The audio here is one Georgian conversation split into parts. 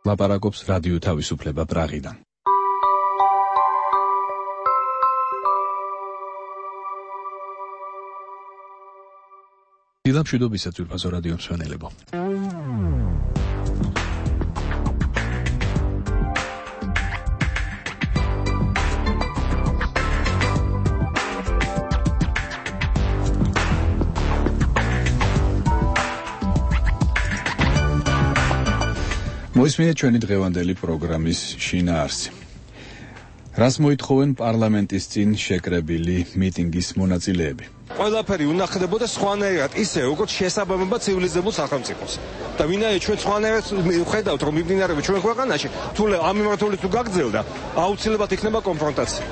ლაპარაკობს რადიო თავისუფლება პრაღიდან. დილამშვიდობისა ძვირფასო რადიო მსმენელებო. მოისმინეთ ჩვენი დღევანდელი პროგრამის შინაარსი. რას მოითხოვენ პარლამენტის წინ შეკრებილი მიტინგის მონაწილეები? ყველაფერი უნახდებოდა სხვანაირად, ისე როგორც შესაბამება ცივილიზებულ სახელმწიფოს. და ვინაიდან ჩვენ სხვანაირად ვხედავთ, რომ მიმდინარეობს ჩვენ ქვეყანაში, თუ ამ მიმართულებით თუ გაგრძელდა, აუცილებლად იქნება კონფრონტაცია.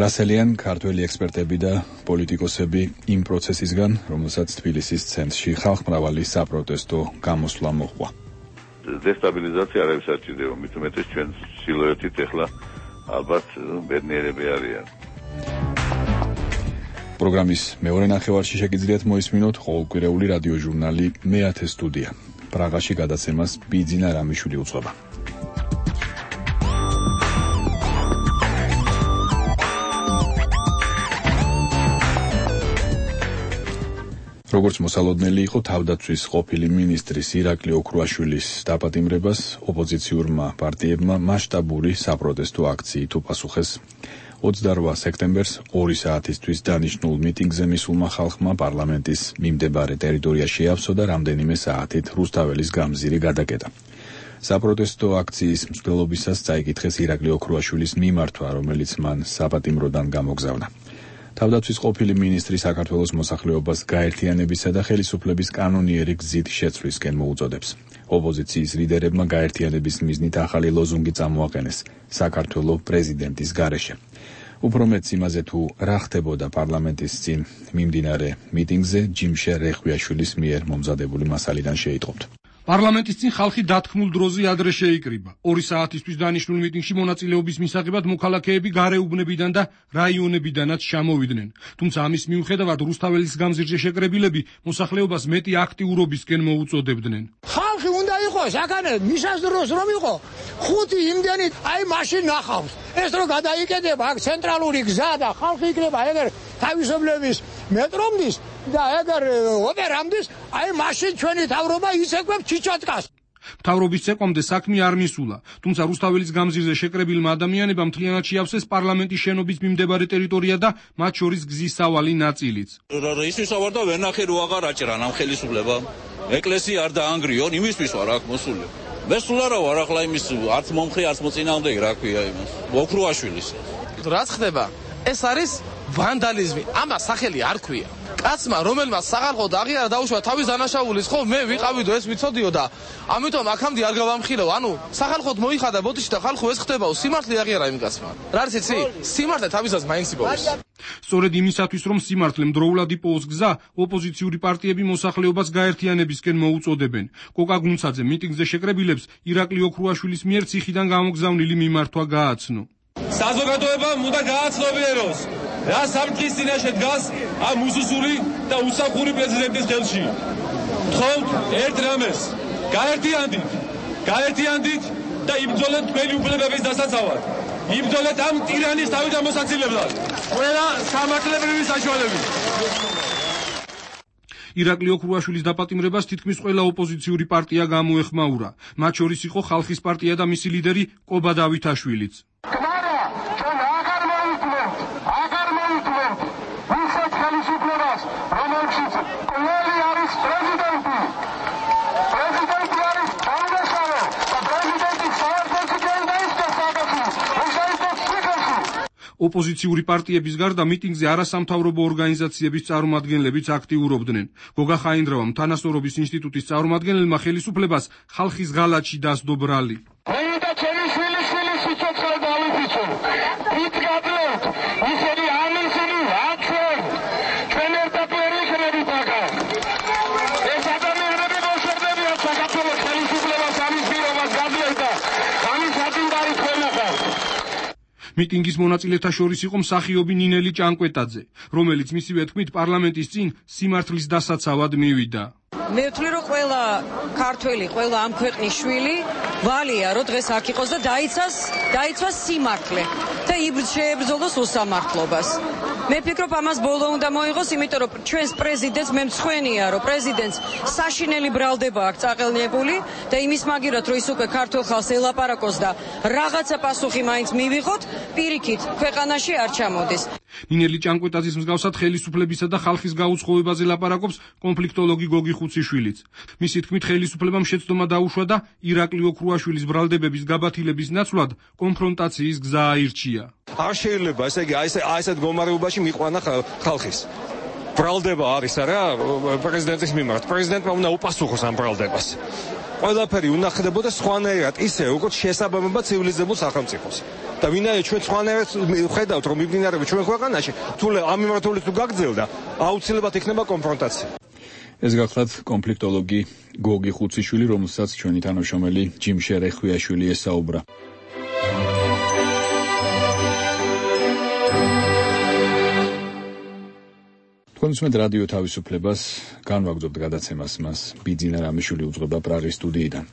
რასელიან ქართველი ექსპერტები და პოლიტიკოსები იმ პროცესისგან, რომელსაც თბილისის ცენტრში ხალხმრავალი საპროტესტო გამოსვლა მოჰყვა. დესტაბილიზაცია არ არის საჭირო, მით უმეტეს ჩვენ სილუეტით ეხლა ალბათ ბედნიერები არიან. პროგრამის მეორე ნახევარში შეგიძლიათ მოისმინოთ ყოველკვირეული რადიო ჟურნალი მეათე სტუდია. პრაღაში გადაცემას ბიძინა რამიშვილი უძღვება. როგორც მოსალოდნელი იყო თავდაცვის ყოფილი მინისტრის ირაკლი ოქრუაშვილის დაპატიმრებას, ოპოზიციურმა პარტიებმა მასშტაბური საპროტესტო აქციით უპასუხეს. 28 სექტემბერს 2 საათისთვის დანიშნულ მიტინგზე მისულმა ხალხმა პარლამენტის მიმდებარე ტერიტორია შეავსო და რამდენიმე საათით რუსთაველის გამზირი გადაკეტა. საპროტესტო აქციის მსვლელობისას წაიკითხეს ირაკლი ოქრუაშვილის მიმართვა, რომელიც მან საპატიმროდან გამოგზავნა. თავდაცვის ყოფილი მინისტრი საქართველოს მოსახლეობას გაერთიანებისა და ხელისუფლების კანონიერი გზით შეცვლისკენ მოუწოდებს. ოპოზიციის ლიდერებმა გაერთიანების მიზნით ახალი ლოზუნგი წამოაყენეს საქართველოს პრეზიდენტის გარეშე. უფრო მეც იმაზე თუ რა ხდებოდა პარლამენტის წინ მიმდინარე მიტინგზე ჯიმშე რეხვიაშვილის მიერ მომზადებული მასალიდან შეიტყობთ. პარლამენტის წინ ხალხი დათქმულ დროზე ადრე შეიკრიბა. 2 საათისთვის დანიშნულ მიტინგში მონაწილეობის მისაღებად მოქალაქეები გარეუბნებიდან და რაიონებიდანაც ჩამოვიდნენ. თუმცა ამის მიუხედავად რუსთაველის გამზირზე შეკრებილები მოსახლეობას მეტი აქტიურობისკენ მოუწოდებდნენ. ხალხი უნდა იყოს აქანე მისას დროს რომ იყო 5 იმდენი აი მაშინ ნახავს. ეს რო გადაიკეთება აქ ცენტრალური გზა და ხალხი იქნება ეგერ თავისუფლების მეტრომდის და ეგერ ოპერამდის, აი მაშინ ჩვენი თავრობა იცეკვებს ჩიჩატკას. მთავრობის ცეკვამდე საქმე არ მისულა, თუმცა რუსთაველის გამზირზე შეკრებილმა ადამიანებმა მთლიანად შეავსეს პარლამენტის შენობის მიმდებარე ტერიტორია და მათ შორის გზის სავალი ნაწილიც. ისვის ავარ და ვერ ნახე რო აღარ აჭრან ამ ხელისუფლებამ. ეკლესია არ დაანგრიონ, იმისთვის ვარ აქ მოსული. მე სულ არა ვარ ახლა იმის არც მომხრე, არც მოწინააღმდეგე, რა ქვია იმას. ოქრუაშვილის. რაც ხდება? ეს არის ვანდალიზმი. ამას სახელი არ ქვია. კაცმა, რომელმაც სახალხოდ აღიარა დაუშვა თავის დანაშაულის, ხო, მე ვიყავიდო, ეს ვიცოდიო და ამიტომ აქამდე არ გავამხილო. ანუ სახალხოდ მოიხადა ბოდიში და ხალხო ეს ხდებაო, სიმართლე აღიარა იმ კაცმა. რა არის იცი? სიმართლე თავისას მაინც იპოვოს. სწორედ იმისათვის, რომ სიმართლემ დროულად იპოვოს გზა, ოპოზიციური პარტიები მოსახლეობას გაერთიანებისკენ მოუწოდებენ. კოკა გუნცაძე მიტინგზე შეკრებილებს ირაკლი ოქრუაშვილის მიერ ციხიდან გამოგზავნილი მიმართვა გააცნო. საზოგადოებამ უნდა გააცნობიეროს, რა სამთქის წინაშე დგას ამ უსუსული და უსახური პრეზიდენტის ხელში. ვთხოვთ ერთ რამეს, გაერთიანდით და იბრძოლეთ თქვენი უფლებების დასაცავად. იბრძოლეთ ამ ტირანის თავიდან მოსაცილებლად. ყველა სამართლებრივი საშუალებით. ირაკლი ოქრუაშვილის დაპატიმრებას თითქმის ყველა ოპოზიციური პარტია გამოეხმაურა. მათ შორის იყო ხალხის პარტია და მისი ლიდერი კობა დავითაშვილიც. ოპოზიციური პარტიების გარდა მიტინგზე არასამთავრობო ორგანიზაციების წარმომადგენლებიც აქტიურობდნენ. გოგა ხაინდრავამ თანასწორობის ინსტიტუტის წარმომადგენელმა ხელისუფლებას ხალხის ღალატში დასდო ბრალი. მიტინგის მონაწილეთა შორის იყო მსახიობი ნინელი ჭანკვეტაძე, რომელიც მისივე თქმით პარლამენტის წინ სიმართლის დასაცავად მივიდა. მე ვთვლი რომ ყველა ქართველი, ყველა ამ ქვეყნის შვილი ვალია რომ დღეს აქ იყოს და დაიცვას სიმართლე და შეებრძოლოს უსამართლობას. მე ფიქრობ ამას ბოლო უნდა მოიღოს, იმიტომ რომ ჩვენს პრეზიდენტს მე მცხვენია რომ პრეზიდენტს საშინელი ბრალდება აქვს წაყელნებული და იმის მაგივრად რომ ის უკვე ქართულ ხალხს ელაპარაკოს და რაღაცა პასუხი მაინც მივიღოთ, პირიქით ქვეყანაში არ ჩამოდის. ნინელი ჭანკვეტაძის მსგავსად ხელისუფლებისა და ხალხის გაუცხოებაზე ლაპარაკობს კონფლიქტოლოგი გოგი ხუციშვილიც. მისი თქმით, ხელისუფლებამ შეცდომა დაუშვა და ირაკლი ოქრუაშვილის ბრალდებების გაბათილების ნაცვლად კონფრონტაციის გზა აირჩია. არ შეიძლება, ესე იგი, ასეთ მდგომარეობაში მიყვანა ხალხის. ბრალდება არის არა პრეზიდენტის მიმართ. პრეზიდენტმა უნდა უპასუხოს ამ ბრალდებას. ყველაფერი უნდა ხდებოდა სხვანაირად, ისე როგორც შესაბამება ცივილიზებულ სახელმწიფოს. და ვინაიდან ჩვენ სხვანაირად ხედავთ, რომ მიმდინარეობს ჩვენ ქვეყანაში, თუ ამ მიმართულებით თუ გაგრძელდა, აუცილებლად იქნება კონფრონტაცია. ეს გახლავთ კონფლიქტოლოგი გოგი ხუციშვილი, რომელსაც ჩვენი თანამშრომელი ჯიმშე რეხვიაშვილი ესაუბრა. კონსუმენტ რადიო თავისუფლებას განვაგრძობთ გადაცემას, მას ბიძინა რამიშვილი უძღვება პრაღის სტუდიიდან.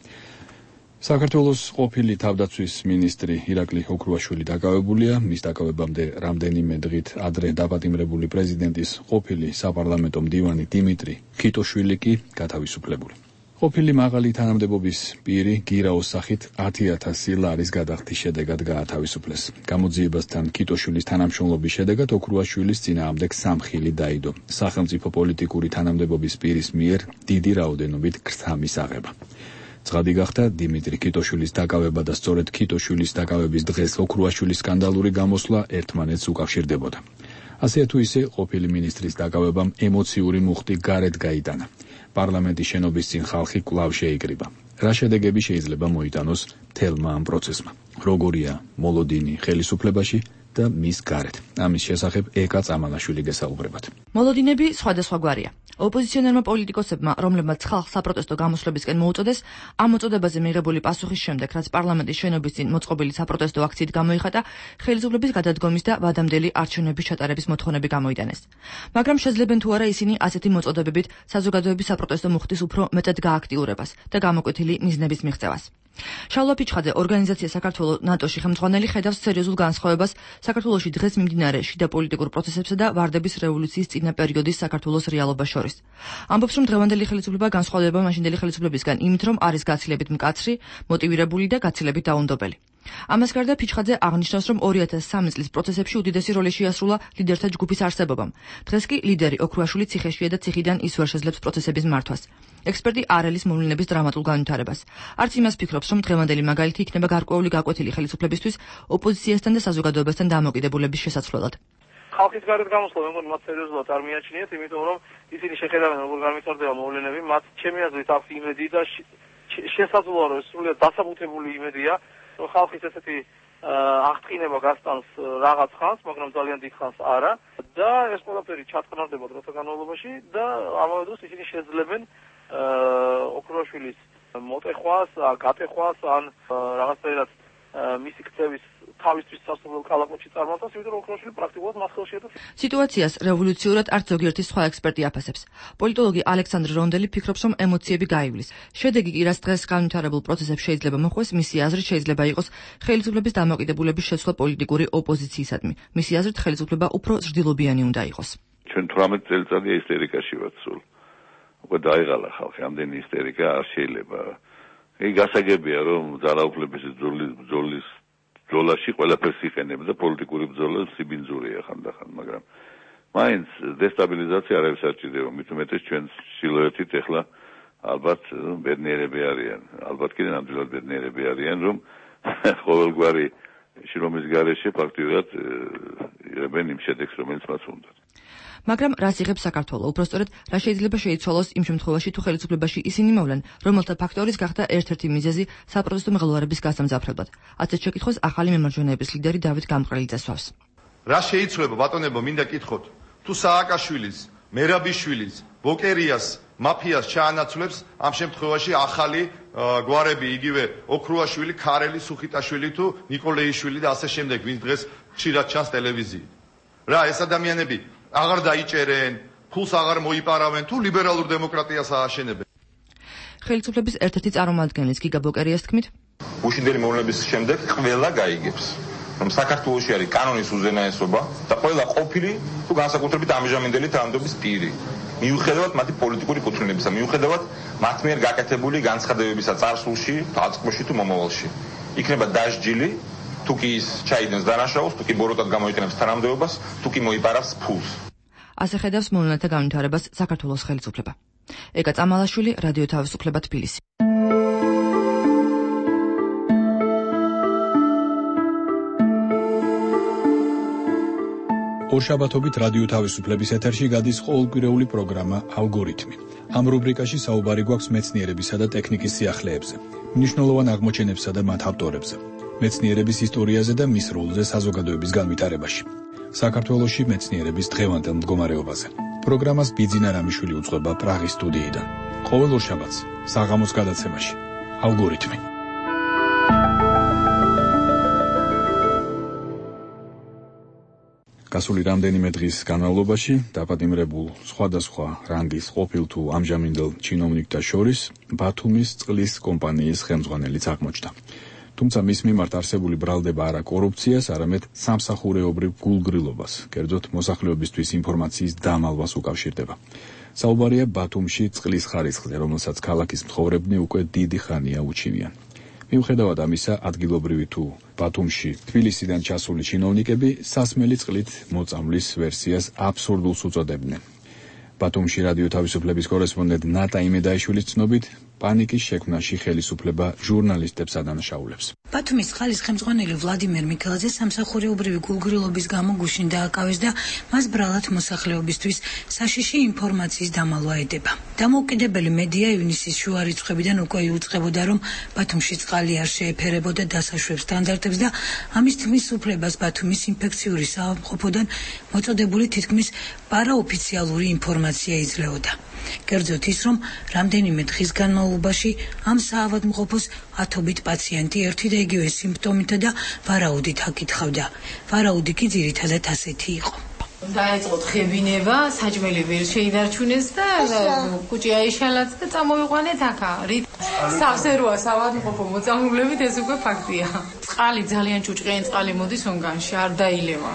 საქართველოს ყოფილი თავდაცვის მინისტრი ირაკლი ოქრუაშვილი დაკავებულია, მის დაკავებამდე რამდენიმე დღით ადრე დაპატიმრებული პრეზიდენტის ყოფილი საპარლამენტო მდივანი დიმიტრი ხიტოშვილი კი გათავისუფლებული. ყოფილი მაღალი თანამდებობის პირი გირაოს სახით 10,000 ლარის გადახდის შედეგად გაათავისუფლეს. გამოძიებასთან ხიტოშვილის თანამშრომლობის შედეგად ოქრუაშვილის წინააღმდეგ სამხილი დაიდო. სახელმწიფო პოლიტიკური თანამდებობის პირის მიერ დიდი რაოდენობით ქრთა მისაღება. ცხადი გახდა დიმიტრი ხიტოშვილის დაკავება და სწორედ ხიტოშვილის დაკავების დღეს ოქრუაშვილის სკანდალური გამოსვლა ერთმანეთს უკავშირდებოდა. ასე თუ ისე ყოფილი მინისტრის დაკავებამ ემოციური მუხტი გარეთ გაიტანა. პარლამენტის შენობის წინ ხალხი კვლავ შეიკრიბა. რა შედეგები შეიძლება მოიტანოს მთელმა ამ პროცესმა? როგორია მოლოდინი ხელისუფლებაში და მის გარეთ? ამის შესახებ ეკა წამალაშვილი გესაუბრებათ. მოლოდინები სხვადასხვა გვარია. ოპოზიციონერმა პოლიტიკოსებმა, რომლებმაც ხალხს საპროტესტო გამოსვლებისკენ მოუწოდეს, ამ მოწოდებაზე მიღებული პასუხის შემდეგ, რაც პარლამენტის შენობის წინ მოწყობილი საპროტესტო აქციით გამოიხატა, ხელისუფლების გადადგომის და ვადამდელი არჩევნების ჩატარების მოთხოვნები გამოიტანეს. მაგრამ შეძლებენ თუ არა ისინი ასეთი მოწოდებებით საზოგადოების საპროტესტო მუხტის უფრო მეტად გააქტიურებას და გამოკვეთილი მიზნების მიღწევას. შალვა ფიჩხაძე, ორგანიზაცია საქართველოს ნატოში ხელმძღვანელი, ხედავს სერიოზულ განსხვავებას საქართველოში დღეს მიმდინარე შიდა პოლიტიკურ პროცესებსა და ვარდების რევოლუციის წინა პერიოდის საქართველოს რეალობას შორის. ამბობს, რომ დღევანდელი ხელისუფლება განსხვავდება მაშინდელი ხელისუფლებისგან იმით, რომ არის გაცილებით მკაცრი, მოტივირებული და გაცილებით დაუნდობელი. ამას გარდა ფიჩხაძე აღნიშნავს, რომ 2003 წლის პროცესებში უდიდესი როლი შეასრულა ლიდერთა ჯგუფის არსებობამ. დღეს კი ლიდერი ოქრუაშვილი ციხეშია და ციხიდან ის ვერ შეძლებს პროცესების მართვას. ექსპერტი არ ელის მოვლენების დრამატულ განვითარებას. არც იმას ფიქრობს, რომ დღევანდელი მაგალითი იქნება გარკვეული გაკვეთილი ხელისუფლებისთვის ოპოზიციასთან და საზოგადოებასთან დამოკიდებულების შესაცვლელად. ხალხის გარეთ გამოსვლა მე მგონი მათ სერიოზულად არ მიაჩნიათ, იმიტომ რომ ისინი შეხედავენ როგორ განვითარდება მოვლენები, მათ ჩემი აზრით აქვს იმედი და შესაძლოა რომ სრულიად დასაბუთებული იმედია, რომ ხალხის ესეთი აღწყინება გასტანს რაღაც ხანს, მაგრამ ძალიან დიდ ხანს არა და ეს ყველაფერი ჩატყნარდება დროთა განმავლობაში და ამავე დროს ისინი შეძლებენ ოქრუაშვილის მოტეხვას, გატეხვას ან რაღაცნაირად მისი ქცევის თავისთვის სასურველ კალაპოტში წარმართავს, იმიტომ რომ ოქრუაშვილი პრაქტიკულად მათ ხელშია და სიტუაციას რევოლუციურად არც ზოგიერთი სხვა ექსპერტი აფასებს. პოლიტოლოგი ალექსანდრე რონდელი ფიქრობს, რომ ემოციები გაივლის. შედეგი კი, რაც დღეს განვითარებულ პროცესებს შეიძლება მოხვდეს, მისი აზრით შეიძლება იყოს ხელისუფლების დამოკიდებულების შეცვლა პოლიტიკური ოპოზიციისადმი. მისი აზრით ხელისუფლება უფრო ზრდილობიანი უნდა იყოს. ჩვენ 18 წელიწადია ისტერიკაში ვართ სულ. უკვე დაიღალა ხალხი, ამდენი ისტერიკა არ შეიძლება. იგი გასაგებია, რომ ძალაუფლების ბრძოლაში ყველაფერს იყენებს და პოლიტიკური ბრძოლა სიბინძურია ხანდახან, მაგრამ მაინც დესტაბილიზაცია არავის არ ჭირდება, მით უმეტეს ჩვენ სილუეტით ეხლა ალბათ ბედნიერები არიან, ალბათ კიდე ნამდვილად ბედნიერები არიან, რომ ყოველგვარი შრომის გარეშე ფაქტიურად იღებენ იმ შედეგს, რომელიც მას უნდათ. მაგრამ რას იღებს საქართველო? უпростоრად, რა შეიძლება შეიცვალოს იმ შემთხვევაში, თუ ხელისუფლებაში ისინი მოვლენ, რომელთა ფაქტორის გახდა ერთ-ერთი მიზეზი საპროტესტო მღელვარების გასამძაფრებლად. ასეთ შეკითხვას ახალი მემარჯვენეების ლიდერი დავით გამყრელიძე სვავს. რა შეიძლება ბატონებო, მინდა კითხოთ, თუ სააკაშვილის, მერაბიშვილის, ბოკერიას, მაფიას ჩაანაცვლებს ამ შემთხვევაში ახალი გვარები, იგივე ოქრუაშვილი, ქარელი, სუხიტაშვილი თუ ნიკოლეიშვილი და ასე შემდეგ, ვინც დღეს ხშირად ჩანს ტელევიზიით. რა ეს ადამიანები აღარ დაიჭერენ, ფულს აღარ მოიპარავენ თუ ლიბერალურ დემოკრატიას ააშენებენ. ხელისუფლების ერთ-ერთი წარმომადგენლის გიგა ბოკერიას თქმით, უშინდელი მოვლენების შემდეგ ყველა გაიგებს, რომ საქართველოში არის კანონის უზენაესობა და ყველა ყოფილი თუ განსაკუთრებით ამჟამინდელი თანამდებობის პირი. მიუხედავად მათი პოლიტიკური კუთვნილებისა, მიუხედავად მათ მიერ გაკეთებული განცხადებებისა წარსულში, დაწყებაში თუ მომავალში. იქნება დასჯილი, თუ კი ის ჩაიდენს დანაშაულს, თუ კი ბოროტად გამოიყენებს თანამდებობას, თუ კი მოიპარავს ფულს. ასე ხედავს მოვლენათა განვითარებას საქართველოს ხელისუფლება. ეკა წამალაშვილი, რადიო თავისუფლება, თბილისი. ორშაბათობით რადიო თავისუფლების ეთერში გადის ყოველკვირეული პროგრამა ალგორითმი. ამ რუბრიკაში საუბარი გვაქვს მეცნიერებისა და ტექნიკის სიახლეებზე, მნიშვნელოვან აღმოჩენებსა და მათ ავტორებზე, მეცნიერების ისტორიაზე და მის როლზე საზოგადოების განვითარებაში. საქართველოში მეცნიერების დღევანდელ მდგომარეობაზე. პროგრამას ბიძინა რამიშვილი უძღვება პრაღის სტუდიიდან. ყოველ ორშაბათს საღამოს გადაცემაში ალგორითმი. გასული რამდენიმე დღის განმავლობაში დაპატიმრებულ სხვადასხვა რანგის ყოფილ თუ ამჟამინდელ ჩინოვნიკთა შორის ბათუმის წყლის კომპანიის ხელმძღვანელიც აღმოჩნდა. თუმცა მის მიმართ არსებული ბრალდება არა კორუფციას, არამედ სამსახურეობრივ გულგრილობას, კერძოდ მოსახლეობისთვის ინფორმაციის დამალვას უკავშირდება. საუბარია ბათუმში წყლის ხარისხზე, რომელსაც ქალაქის მცხოვრებნი უკვე დიდი ხანია უჩივიან. მიუხედავად ამისა, ადგილობრივი თუ ბათუმში თბილისიდან ჩასული ჩინოვნიკები სასმელი წყლით მოწამვლის ვერსიას აბსურდულს უწოდებდნენ. ბათუმში რადიო თავისუფლების კორესპონდენტ ნატა იმედაიშვილის ცნობით, პანიკის შექმნაში ხელისუფლება ჟურნალისტებს ადანაშაულებს. ბათუმის წყლის ხელმძღვანელი ვლადიმერ მიქელაძე სამსახურეობრივი გულგრილობის გამო გუშინ დააკავეს და მას ბრალად მოსახლეობისთვის საშიში ინფორმაციის დამალვა ედება. დამოუკიდებელი მედია ივნისის შუა რიცხვებიდან უკვე იუწყებოდა, რომ ბათუმში წყალი არ შეეფერებოდა დასაშვებ სტანდარტებს და ამის თქმის უფლებას ბათუმის ინფექციური საავადმყოფოდან მოწოდებული თითქმის პარაოფიციალური ინფორმაცია იძლეოდა. კერძოდ ის, რომ რამდენიმე დღის განმავლობაში ამ საავადმყოფოს ათობით პაციენტი ერთი და იგივე სიმპტომითა და ვარაუდით აკითხავდა. ვარაუდი კი ძირითადად ასეთი იყო. დაიწყო თხებინება, საჭმელი ვერ შეიდარჩუნეს და კუჭი აიშალაც და წამოვიყვანეთ აქა. სავსეროა საავადმყოფო მოწამვლებით, ეს უკვე ფაქტია. წყალი ძალიან ჭუჭყიანი წყალი მოდის ონგანში, არ დაილევა.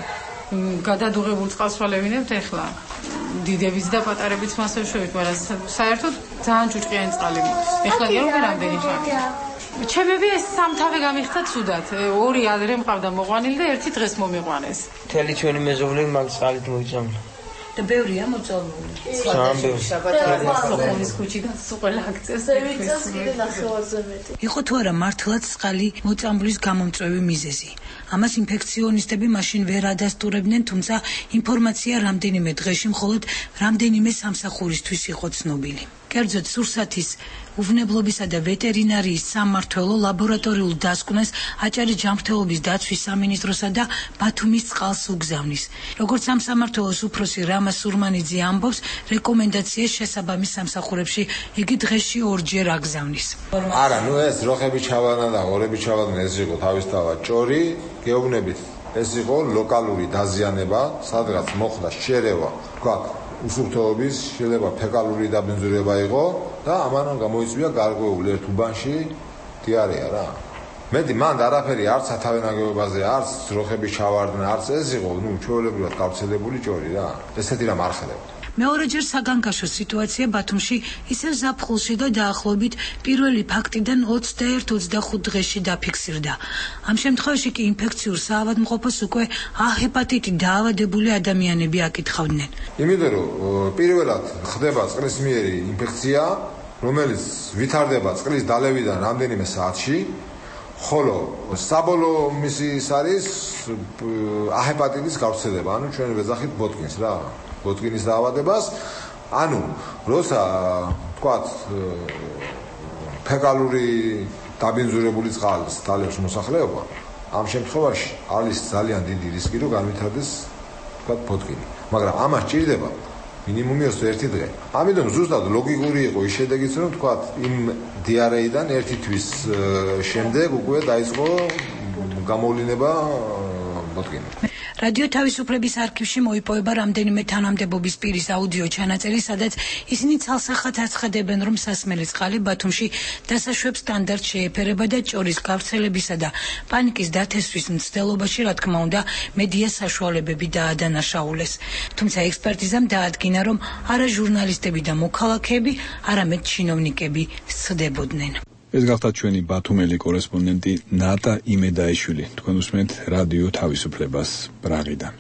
გადადუღებულ წყალს ვალევინებთ ეხლა. დიდებიც და პატარებიც მასე შევით, მაგრამ საერთოდ ძალიან ჭუჭყიანი წყალი მოდის. ეხლა კი უკვე რამდენი ხანია. ჩემები ეს სამთავე გამიხდა ცუდად. ორი ადრე მყავდა მოყვანილი და ერთი დღეს მომიყვანეს. მთელი ჩვენი მეზობლები მაგ წყალით მოიძამლა. და ბევრია მოწამლული. სოფონის ქუჩიდან ყველა აქცევს. იყო თუ არა მართლაც წყალი მოწამვლის გამომწვევი მიზეზი. ამას ინფექციონისტები მაშინ ვერ ადასტურებდნენ, თუმცა ინფორმაცია რამდენიმე დღეში მხოლოდ რამდენიმე სამსახურისთვის იყო ცნობილი. კერძოდ სურსათის უვნებლობისა და ვეტერინარიის სამმართველო ლაბორატორიულ დასკვნას აჭარი ჯანმრთელობის დაცვის სამინისტროსა და ბათუმის წყალს უგზავნის. როგორც ამ სამმართველოს უფროსი რამა სურმანიძე ამბობს, რეკომენდაციას შესაბამის სამსახურებში იგი დღეში ორჯერ აგზავნის. არა, ეს როხები ჩავანა და ორები ჩავანა, ეს იყო თავისთავად ჭორი, გეუბნებით, ეს იყო ლოკალური დაზიანება, სადღაც მოხდა შერევა, თქვა უსუფრთხოების შეიძლება ფეკალური დაბინძურება იყო და ამან გამოიწვია გარკვეული ერთ უბანში დიარეა რა. მედი მანდ არაფერი არც სათავენაგებობაზე, არც როხები ჩავარდნენ, არც ეს იყო, ჩვეულებრივად გავრცელებული ჭორი რა. ესეთი რამ არ ხდებოდა. მეორეჯერ საგანგაშო სიტუაცია ბათუმში ისევ ზაფხულში და დაახლოებით პირველი ფაქტიდან 21-25 დღეში დაფიქსირდა. ამ შემთხვევაში კი ინფექციურ საავადმყოფოს უკვე ჰეპატიტი დაავადებული ადამიანები აკითხავდნენ. იმიტომ რომ პირველად ხდება წყლისმიერი ინფექცია, რომელიც ვითარდება წყლის დალევიდან რამდენიმე საათში, ხოლო საბოლოო მისი ის არის ჰეპატიტის გავრცელება, ანუ ჩვენ ვეძახით ბოტკინს რა. ბოტკინის დაავადებას, ანუ როცა თქვათ ფეკალური დაბინძურებული წყალს დალევს მოსახლეობა, ამ შემთხვევაში არის ძალიან დიდი რისკი, რომ განვითარდეს თქვათ ბოტკინი. მაგრამ ამას ჭირდება მინიმუმი 21 დღე. ამიტომ ზუსტად ლოგიკური იყო ის შედეგიც, რომ თქვათ იმ დიარეიდან ერთი თვის შემდეგ უკვე დაიწყო გამოვლინება ბოტკინი. რადიო თავისუფლების არქივში მოიპოვება რამდენიმე თანამდებობის პირის აუდიო ჩანაწერი, სადაც ისინი ცალსახად აცხადებენ, რომ სასმელი წყალი ბათუმში დასაშვებ სტანდარტს შეეფერება და ჭორის გავრცელებისა და პანიკის დათესვის მცდელობაში, რა თქმა უნდა, მედია საშუალებები დაადანაშაულეს. თუმცა ექსპერტიზამ დაადგინა, რომ არა ჟურნალისტები და მოქალაქეები, არამედ ჩინოვნიკები სცდებოდნენ. ეს გახდა ჩვენი ბათუმელი კორესპონდენტი ნატა იმედაიშვილი. თქვენ უსმენთ რადიო თავისუფლებას პრაღიდან.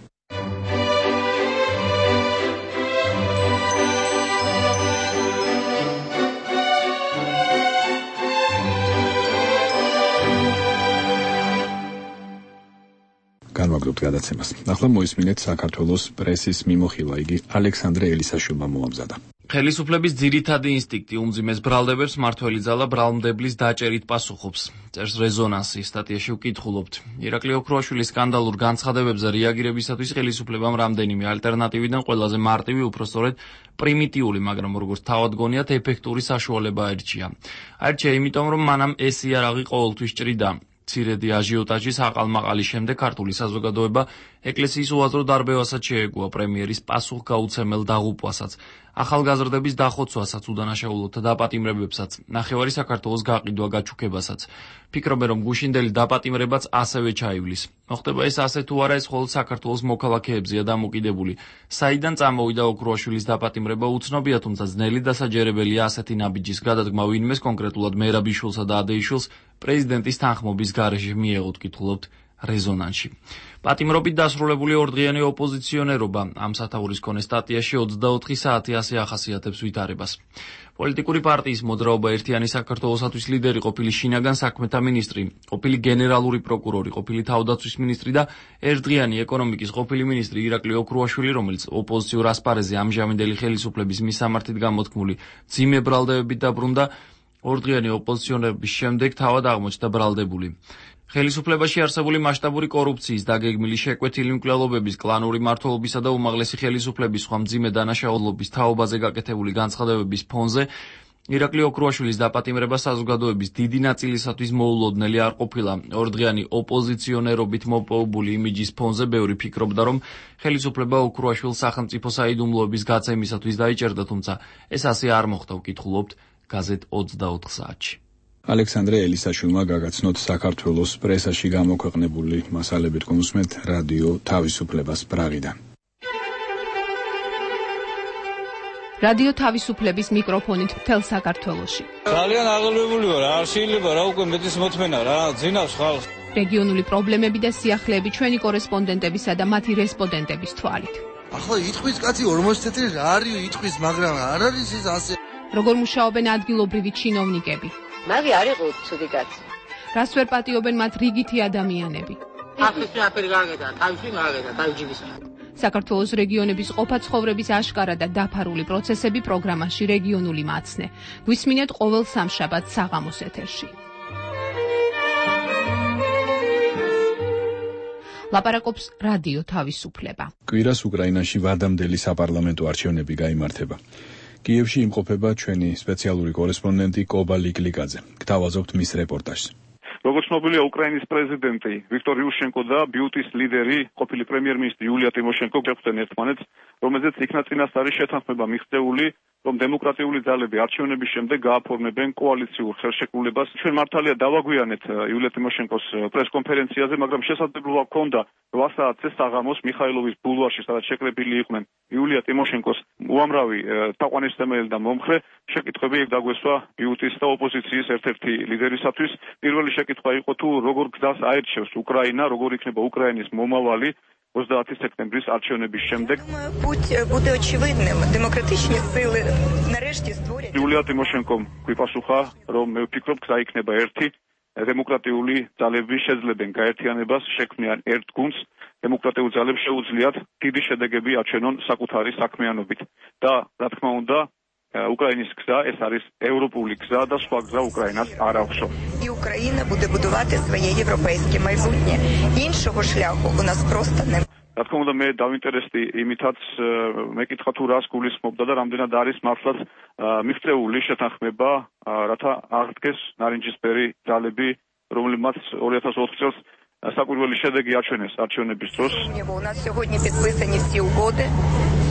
განვაგრძობთ გადაცემას. ახლა მოისმინეთ საქართველოს პრესის მიმოხილვა, იგი ალექსანდრე ელისაშვილმა მოამზადა. ხელისუფლების ძირითადი ინსტინქტი უმძიმეს ბრალდებებს მართველი ძალა ბრალმდებლის დაჭერით პასუხობს. წერს რეზონანსი სტატიაში ვკითხულობთ. ირაკლი ოქროაშვილის სკანდალურ განცხადებებზე რეაგირებისათვის ხელისუფლებამ რამდენიმე ალტერნატივიდან ყველაზე მარტივი, უпростоრედ პრიმიტიული, მაგრამ როგორც თავად გონიათ, ეფექტური საშუალება აირჩია. აირჩია იმიტომ, რომ მანამ ეს იარაღი ყოველთვის ჭრიდა. მცირედი აჟიოტაჟის აყალმაყალის შემდეგ ქართული საზოგადოება ეკლესიის უაზრო დარბევასაც შეეგუა, პრემიერის პასუხგაუცემელ დაღუპვასაც, ახალგაზრდების დახოცვასაც, უდანაშაულოთა დაპატიმრებებსაც, ნახევარი საქართველოს გაყიდვა გაჩუქებასაც. ფიქრობენ, რომ გუშინდელი დაპატიმრებაც ასევე ჩაივლის. მოხდება ეს ასე თუ არა, ეს მხოლოდ საქართველოს მოქალაქეებზეა დამოკიდებული. საიდან წამოვიდა ოქროაშვილის დაპატიმრება უცნობია, თუმცა ძნელი დასაჯერებელია ასეთი ნაბიჯის გადადგმა ვინმეს, კონკრეტულად მერაბიშვილსა და ადეიშვილს პრეზიდენტის თანხმობის გარეშე მიეღოთ, კითხულობთ რეზონანსში. პატიმრობით დასრულებული ორდღიანი ოპოზიციონერობა ამ სათაურის მქონე სტატიაში 24 საათი ასე ახასიათებს ვითარებას. პოლიტიკური პარტიის მოძრაობა ერთიანი საქართველოსათვის ლიდერი ყოფილი შინაგან საქმეთა მინისტრი, ყოფილი გენერალური პროკურორი, ყოფილი თავდაცვის მინისტრი და ერთდღიანი ეკონომიკის ყოფილი მინისტრი ირაკლი ოქროაშვილი, რომელიც ოპოზიციურ ასპარეზზე ამჟამინდელი ხელისუფლების მისამართით გამოთქმული ძიმე ბრალდებებით დაბრუნდა, ორდღიანი ოპოზიციონერების შემდეგ თავად აღმოჩნდა ბრალდებული. ხელისუფლებაში არსებული მასშტაბური კორუფციის, დაგეგმილი შეკვეთილი მკვლელობების, კლანური მმართველობისა და უმაღლესი ხელისუფლების სხვა მძიმე დანაშაულობის თაობაზე გაკეთებული განცხადებების ფონზე ირაკლი ოქროაშვილის დაპატიმრება საზოგადოების დიდი ნაწილისათვის მოულოდნელი არ ყოფილა. ორდღიანი ოპოზიციონერობით მოპოვებული იმიჯის ფონზე ბევრი ფიქრობდა, რომ ხელისუფლება ოქროაშვილს სახელმწიფო საიდუმლოების გაცემისათვის დაიჭერდა, თუმცა ეს ასე არ მოხდა, ვკითხულობთ გაზეთ 24 საათში. ალექსანდრე ელისაშვილმა გაგაცნოთ საქართველოს პრესაში გამოქვეყნებული მასალები. თქვენ უსმენთ რადიო თავისუფლებას პრაღიდან. რადიო თავისუფლების მიკროფონით მთელ საქართველოში. ძალიან აღელვებული ვარ, არ შეიძლება რა უკვე მეტის მოთმენა რა, ძინავს ხალხს. რეგიონული პრობლემები და სიახლეები ჩვენი კორესპონდენტებისა და მათი რესპონდენტების თვალით. ახლა იტყვის კაცი 40 წელი რა არის იტყვის, მაგრამ არ არის ის ასე. როგორ მუშაობენ ადგილობრივი ჩინოვნიკები? მაგი არ იყო ცუდი კაცი. რას ვერ პატიობენ მათ რიგითი ადამიანები? ახლა აფერი გაგედა, თავში გაგედა, თავჯიბის. საქართველოს რეგიონების ყოფა ცხოვრების აშკარა და დაფარული პროცესები პროგრამაში რეგიონული მაცნე. გვისმინეთ ყოველ სამშაბათს საღამოს ეთერში. ლაპარაკობს რადიო თავისუფლება. კვირას უკრაინაში ვადამდელი საპარლამენტო არჩევნები გაიმართება. კიევში იმყოფება ჩვენი სპეციალური კორესპონდენტი კობა ლიკლიკაძე. გთავაზობთ მის რეპორტაჟს. როგორც ცნობილია, უკრაინის პრეზიდენტი ვიქტორ იუშენკო და ბიუტის ლიდერი, ყოფილი პრემიერ-მინისტრი იულია ტიმოშენკო შეხვდნენ ერთმანეთს, რომელზეც იქნა წინასწარი შეთანხმება მიღწეული, რომ დემოკრატიული ძალები არჩევნების შემდეგ გააფორმებენ კოალიციურ ხელშეკრულებას. ჩვენ მართალია დავაგვიანეთ იულია ტიმოშენკოს პრესკონფერენციაზე, მაგრამ შესაძლებლობა ჰქონდა 8 საათზე საღამოს მიხაილოვის ბულვარში, სადაც შეკრებილი იყვნენ იულია ტიმოშენკოს უამრავი თაყვანისმცემელი და მომხრე. შეკითხვები დაგვესვა ბიუტის და ოპოზიციის ერთ-ერთი ლიდერისათვის. პირველი შეკითხვა იყო თუ როგორ გზას აერჩევს უკრაინა, როგორ იქნება უკრაინის მომავალი 30 სექტემბრის არჩევნების შემდეგ. Буде очевидним. Демократичні сили нарешті створять. იულია ტიმოშენკომ გვიპასუხა, რომ მე ვფიქრობ, გზა იქნება ერთი. დემოკრატიული ძალები შეძლებენ გაერთიანებას, შექმნიან ერთ გუნდს. დემოკრატიულ ძალებს შეუძლიათ დიდი შედეგები აჩვენონ საკუთარი საქმიანობით. და რა თქმა უნდა, უკრაინის გზა ეს არის ევროპული გზა და სხვა გზა უკრაინას არ აქვსო. І Україна буде будувати своє європейське майбутнє. Іншого шляху у нас просто немає. რა თქმა უნდა, მე დავინტერესდი იმითაც, მეკითხა თუ რას გულისხმობდა და რამდენად არის მართლაც მიღწეული შეთანხმება, რათა აღდგეს ნარინჯისფერი ძალები, რომლებმაც 2004 წელს საკვირველი შედეგი აჩვენეს არჩევნების დროს. У нас сьогодні підписані всі угоди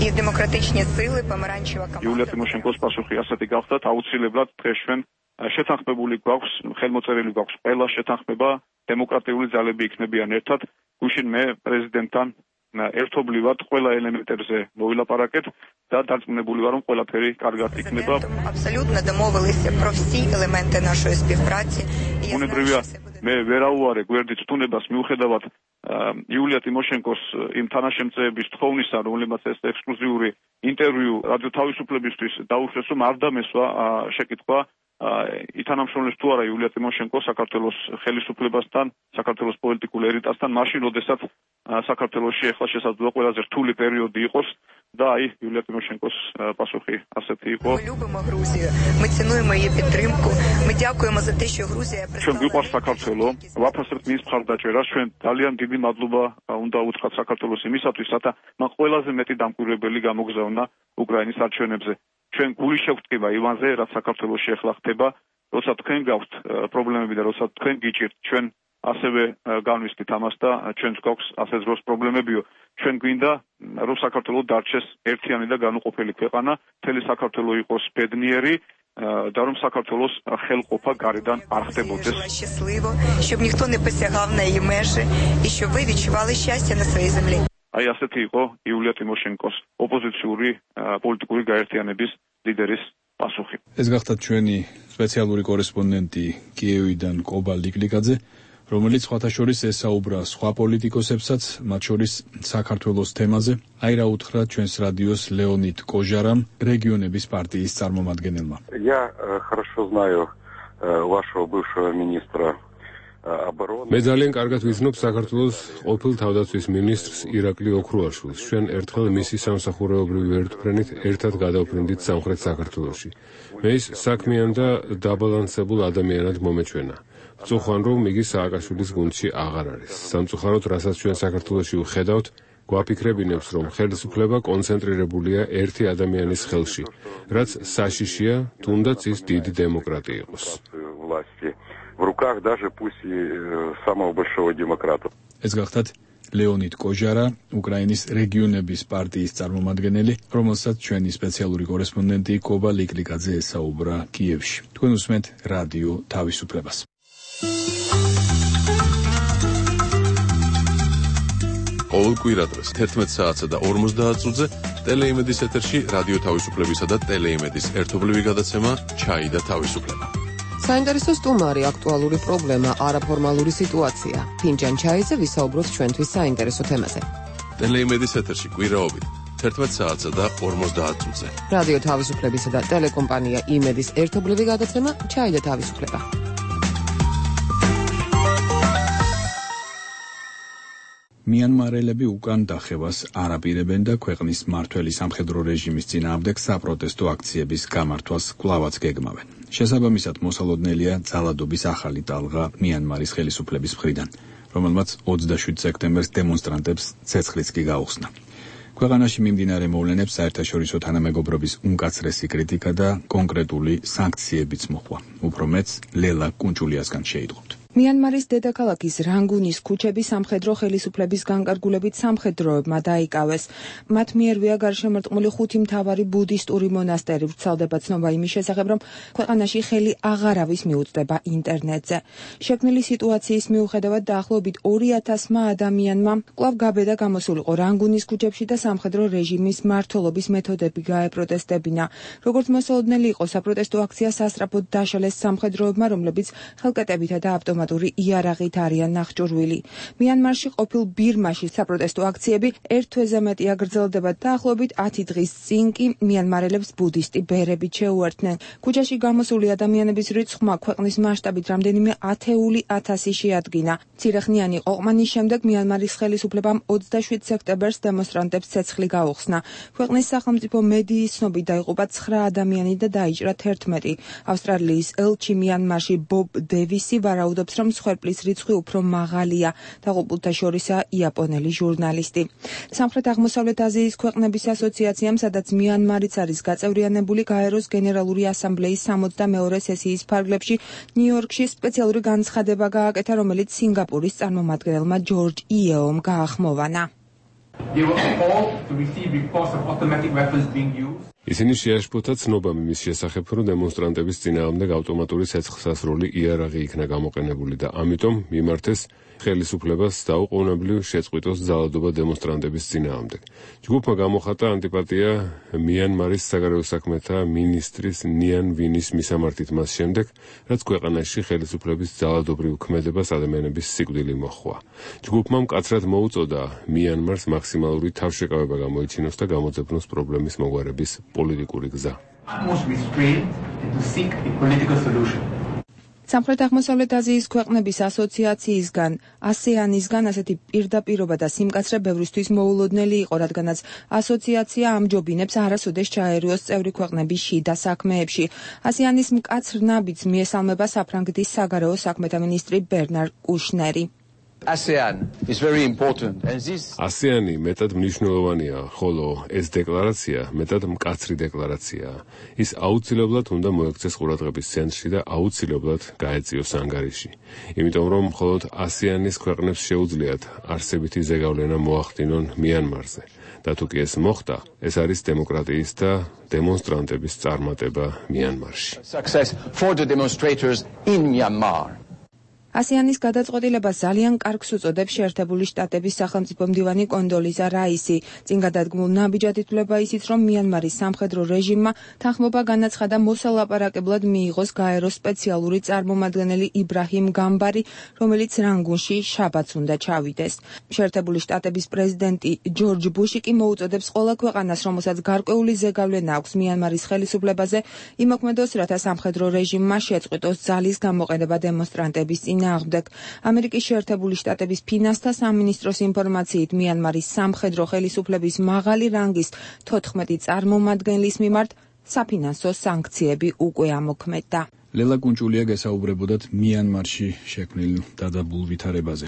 і демократичні сили помаранчева команда. იულია ტიმოშენკოს პასუხი ასეთი გახდათ, აუცილებლად დღეს ჩვენ შეთანხმებული გვაქვს, ხელმოწერილი გვაქვს ყველა შეთანხმება, დემოკრატიული ძალები იქნებიან ერთად. გუშინ მე პრეზიდენტთან ერთობლივად ყველა ელემენტებზე მოვილაპარაკეთ და დარწმუნებული ვარ, რომ ყველაფერი კარგად იქნება. Абсолютно домовилися про всі елементи нашої співпраці. უნებრივია მე ვერაუარე გვერდით თუნებას მიუხედავად იულია ტიმოშენკოს იმ თანაშემწეების თხოვნისა, რომლებმაც ეს ექსკლუზიური ინტერვიუ რადიო თავისუფლებისთვის დაუშვეს, რომ არ დამესვა შეკითხვა ითანამშრომლებს თუ არა იულია ტიმოშენკო საქართველოს ხელისუფლებასთან, საქართველოს პოლიტიკურ ელიტასთან, მაშინ, როდესაც საქართველოში ახლა შესაძლოა ყველაზე რთული პერიოდი იყოს და აი იულია ტიმოშენკოს პასუხი ასეთი იყო. Ми любимо Грузію, ми цінуємо її підтримку, ми дякуємо за те, що Грузія ჩვენ გვიყვარს საქართველო, ვაფასებთ მის მხარდაჭერას, ჩვენ ძალიან დიდი მადლობა უნდა უთხრათ საქართველოს იმისათვის, რათა მან ყველაზე მეტი დამკვირვებელი გამოგზავნა უკრაინის არჩევნებზე. ჩვენ გული შევწკება ივანზე, რაც საქართველოში ახლა ხდება, როცა თქვენ გაქვთ პრობლემები და როცა თქვენ გიჭირთ, ჩვენ ასევე განვისდით ამას და ჩვენს გვაქვს ასე დროს პრობლემებიო. ჩვენ გვინდა, რომ საქართველო დარჩეს ერთიანი და განუყოფელი ქვეყანა, მთელი საქართველო იყოს ბედნიერი და რომ საქართველოს ხელყოფა გარედან არ ხდებოდეს. щасливо, щоб ніхто не посягав на її межі і щоб ви відчували щастя на своїй землі. აი ასეთი იყო იულია ტიმოშენკოს ოპოზიციური პოლიტიკური გაერთიანების ლიდერის პასუხი. ეს გახდათ ჩვენი სპეციალური კორესპონდენტი კიევიდან კობა ლიკლიკაძე, რომელიც სხვათა შორის ესაუბრა სხვა პოლიტიკოსებსაც, მათ შორის საქართველოს თემაზე. აი რა უთხრა ჩვენს რადიოს ლეონიდ კოჟარამ, რეგიონების პარტიის წარმომადგენელმა. Я хорошо знаю вашего бывшего министра მე ძალიან კარგად ვიცნობ საქართველოს ყოფილ თავდაცვის მინისტრს ირაკლი ოქრუაშვილს. ჩვენ ერთხელ მისი სამსახურეობრივი ვერტმფრენით ერთად გადავფრინდით სამხრეთ საქართველოში. მე ის საქმიან და დაბალანსებულ ადამიანად მომეჩვენა. ვწუხან, რომ იგი სააკაშვილის გუნდში აღარ არის. სამწუხაროდ, რასაც ჩვენ საქართველოში ვხედავთ, გვაფიქრებინებს, რომ ხელისუფლება კონცენტრირებულია ერთი ადამიანის ხელში, რაც საშიშია, თუნდაც ის დიდი დემოკრატია იყოს. В руках даже пусть и самого большого демократа. ეს გახდათ ლეონიდ კოჟარა, უკრაინის რეგიონების პარტიის წარმომადგენელი, რომელსაც ჩვენი სპეციალური კორესპონდენტი კობა ლიკლიკაძე ესაუბრა კიევში. თქვენ უსმენთ რადიო თავისუფლებას. ყოველ კვირადღეს 11 საათსა და 50 წუთზე ტელეიმედის ეთერში რადიო თავისუფლებისა და ტელეიმედის ერთობლივი გადაცემა ჩაი და თავისუფლება. საინტერესო სტუმარი, აქტუალური პრობლემა, არაფორმალური სიტუაცია. ფინჯან ჩაიზე ვისაუბროთ ჩვენთვის საინტერესო თემაზე. ტელეიმედის ეთერში კვირაობით 11 საათსა და 50 წუთზე. რადიო თავისუფლებისა და ტელეკომპანია იმედის ერთობლივი გადაცემა ჩაი და თავისუფლება. მიანმარელები უკან დახევას არ აპირებენ და ქვეყნის მმართველი სამხედრო რეჟიმის წინააღმდეგ საპროტესტო აქციების გამართვას კვლავაც გეგმავენ. შესაბამისად, მოსალოდნელია ძალადობის ახალი ტალღა მიანმარის ხელისუფლების მხრიდან, რომელმაც 27 სექტემბერს დემონსტრანტებს ცეცხლიც კი გაუხსნა. ქვეყანაში მიმდინარე მოვლენებს საერთაშორისო თანამეგობრობის უმკაცრესი კრიტიკა და კონკრეტული სანქციებიც მოჰყვა. უფრო მეც ლელა კუნჭულიასგან შეიტყობთ. მიანმარის დედაქალაქის რანგუნის ქუჩები სამხედრო ხელისუფლების განკარგულებით სამხედროებმა დაიკავეს. მათ მიერვია გარშემორტყმული 5 მთავარი ბუდისტური მონასტერი. ვრცელდება ცნობა იმის შესახებ, რომ ქვეყანაში ხელი აღარავის მიუწვდება ინტერნეტზე. შექმნილი სიტუაციის მიუხედავად დაახლოებით 2000-მა ადამიანმა კვლავ გაბედა გამოსულიყო რანგუნის ქუჩებში და სამხედრო რეჟიმის მმართველობის მეთოდები გაეპროტესტებინა. როგორც მოსალოდნელი იყო, საპროტესტო აქცია სასწრაფოდ დაშალეს სამხედროებმა, რომლებიც ხელკეტებითა და ავტომატური იარაღით არიან ნახჭურვილი. მიანმარში ყოფილ ბირმაში საპროტესტო აქციები ერთ თვეზე მეტია გრძელდება და დაახლოებით 10 დღის წინ კი მიანმარელებს ბუდისტი ბერებით შეუერთდნენ. ქუჩაში გამოსული ადამიანების რიცხვმა ქვეყნის მასშტაბით რამდენიმე ათეული ათასი შეადგინა. მცირეხნიანი ყოყმანის შემდეგ მიანმარის ხელისუფლებამ 27 სექტემბერს დემონსტრანტებს ცეცხლი გაუხსნა. ქვეყნის სახელმწიფო მედიის ცნობით დაიღუპა 9 ადამიანი და დაიჭრა 11. ავსტრალიის ელჩი მიანმარში ბობ დევისი ვარაუდობს, რომ მსხვერპლის რიცხვი უფრო მაღალია, დაღუპულთა შორისაა იაპონელი ჟურნალისტი. სამხრეთ-აღმოსავლეთ აზიის ქვეყნების ასოციაციამ, სადაც მიანმარიც არის გაწევრიანებული, გაეროს გენერალური ასამბლეის 62-ე სესიის ფარგლებში ნიუ-იორკში სპეციალური განცხადება გააკეთა, რომელიც სინგაპურის წარმომადგენელმა ჯორჯ იეომ გაახმოვანა. ისინი შეაშფოთა ცნობა იმის შესახებ, რომ დემონსტრანტების წინააღმდეგ ავტომატური ცეცხლსასროლი იარაღი იქნა გამოყენებული და ამიტომ მიმართეს ხელისუფლებას დაუყოვნებლივ შეწყვიტოს ძალადობა დემონსტრანტების წინააღმდეგ. ჯგუფმა გამოხატა ანტიპატია მიანმარის საგარეო საქმეთა მინისტრის ნიან ვინის მისამართით მას შემდეგ, რაც ქვეყანაში ხელისუფლების ძალადობრივ ქმედებას ადამიანების სიკვდილი მოჰყვა. ჯგუფმა მკაცრად მოუწოდა მიანმარს მაქსიმალური თავშეკავება გამოიჩინოს და გამოძებნოს პრობლემის მოგვარების პოლიტიკური გზა. სამხრეთ-აღმოსავლეთ აზიის ქვეყნების ასოციაციისგან, ASEAN-ისგან ასეთი პირდაპირობა და სიმკაცრე ბევრისთვის მოულოდნელი იყო, რადგანაც ასოციაცია ამჯობინებს არასოდეს ჩაერიოს წევრი ქვეყნების შიდა საქმეებში. ASEAN-ის მკაცრ ნაბიჯს მიესალმება საფრანგეთის საგარეო საქმეთა მინისტრი ბერნარ კუშნერი. ASEAN-ი მეტად მნიშვნელოვანია, ხოლო ეს დეკლარაცია მეტად მკაცრი დეკლარაციაა. ის აუცილებლად უნდა მოექცეს ყურადღების ცენტრში და აუცილებლად გაეწიოს ანგარიში. იმიტომ რომ მხოლოდ ASEAN-ის ქვეყნებს შეუძლიათ არსებითი ზეგავლენა მოახდინონ მიანმარზე. და თუ კი ეს მოხდა, ეს არის დემოკრატიის და დემონსტრანტების წარმატება მიანმარში. ASEAN-ის გადაწყვეტილებას ძალიან კარგს უწოდებს შეერთებული შტატების სახელმწიფო მდივანი კონდოლიზა რაისი. წინ გადადგმულ ნაბიჯად ითვლება ისიც, რომ მიანმარის სამხედრო რეჟიმმა თანხმობა განაცხადა მოსალაპარაკებლად მიიღოს გაეროს სპეციალური წარმომადგენელი იბრაჰიმ გამბარი, რომელიც რანგუნში შაბათს უნდა ჩავიდეს. შეერთებული შტატების პრეზიდენტი ჯორჯ ბუში კი მოუწოდებს ყველა ქვეყანას, რომელსაც გარკვეული ზეგავლენა აქვს მიანმარის ხელისუფლებაზე, იმოქმედოს, რათა სამხედრო რეჟიმმა შეწყვიტოს ძალის გამოყენება დემონსტრანტების წინააღმდეგ. ამერიკის შეერთებული შტატების ფინანსთა სამინისტროს ინფორმაციით მიანმარის სამხედრო ხელისუფლების მაღალი რანგის 14 წარმომადგენლის მიმართ საფინანსო სანქციები უკვე ამოქმედდა. ლელა კუნჭულია გესაუბრებოდათ მიანმარში შექმნილ დადებულ ვითარებაზე.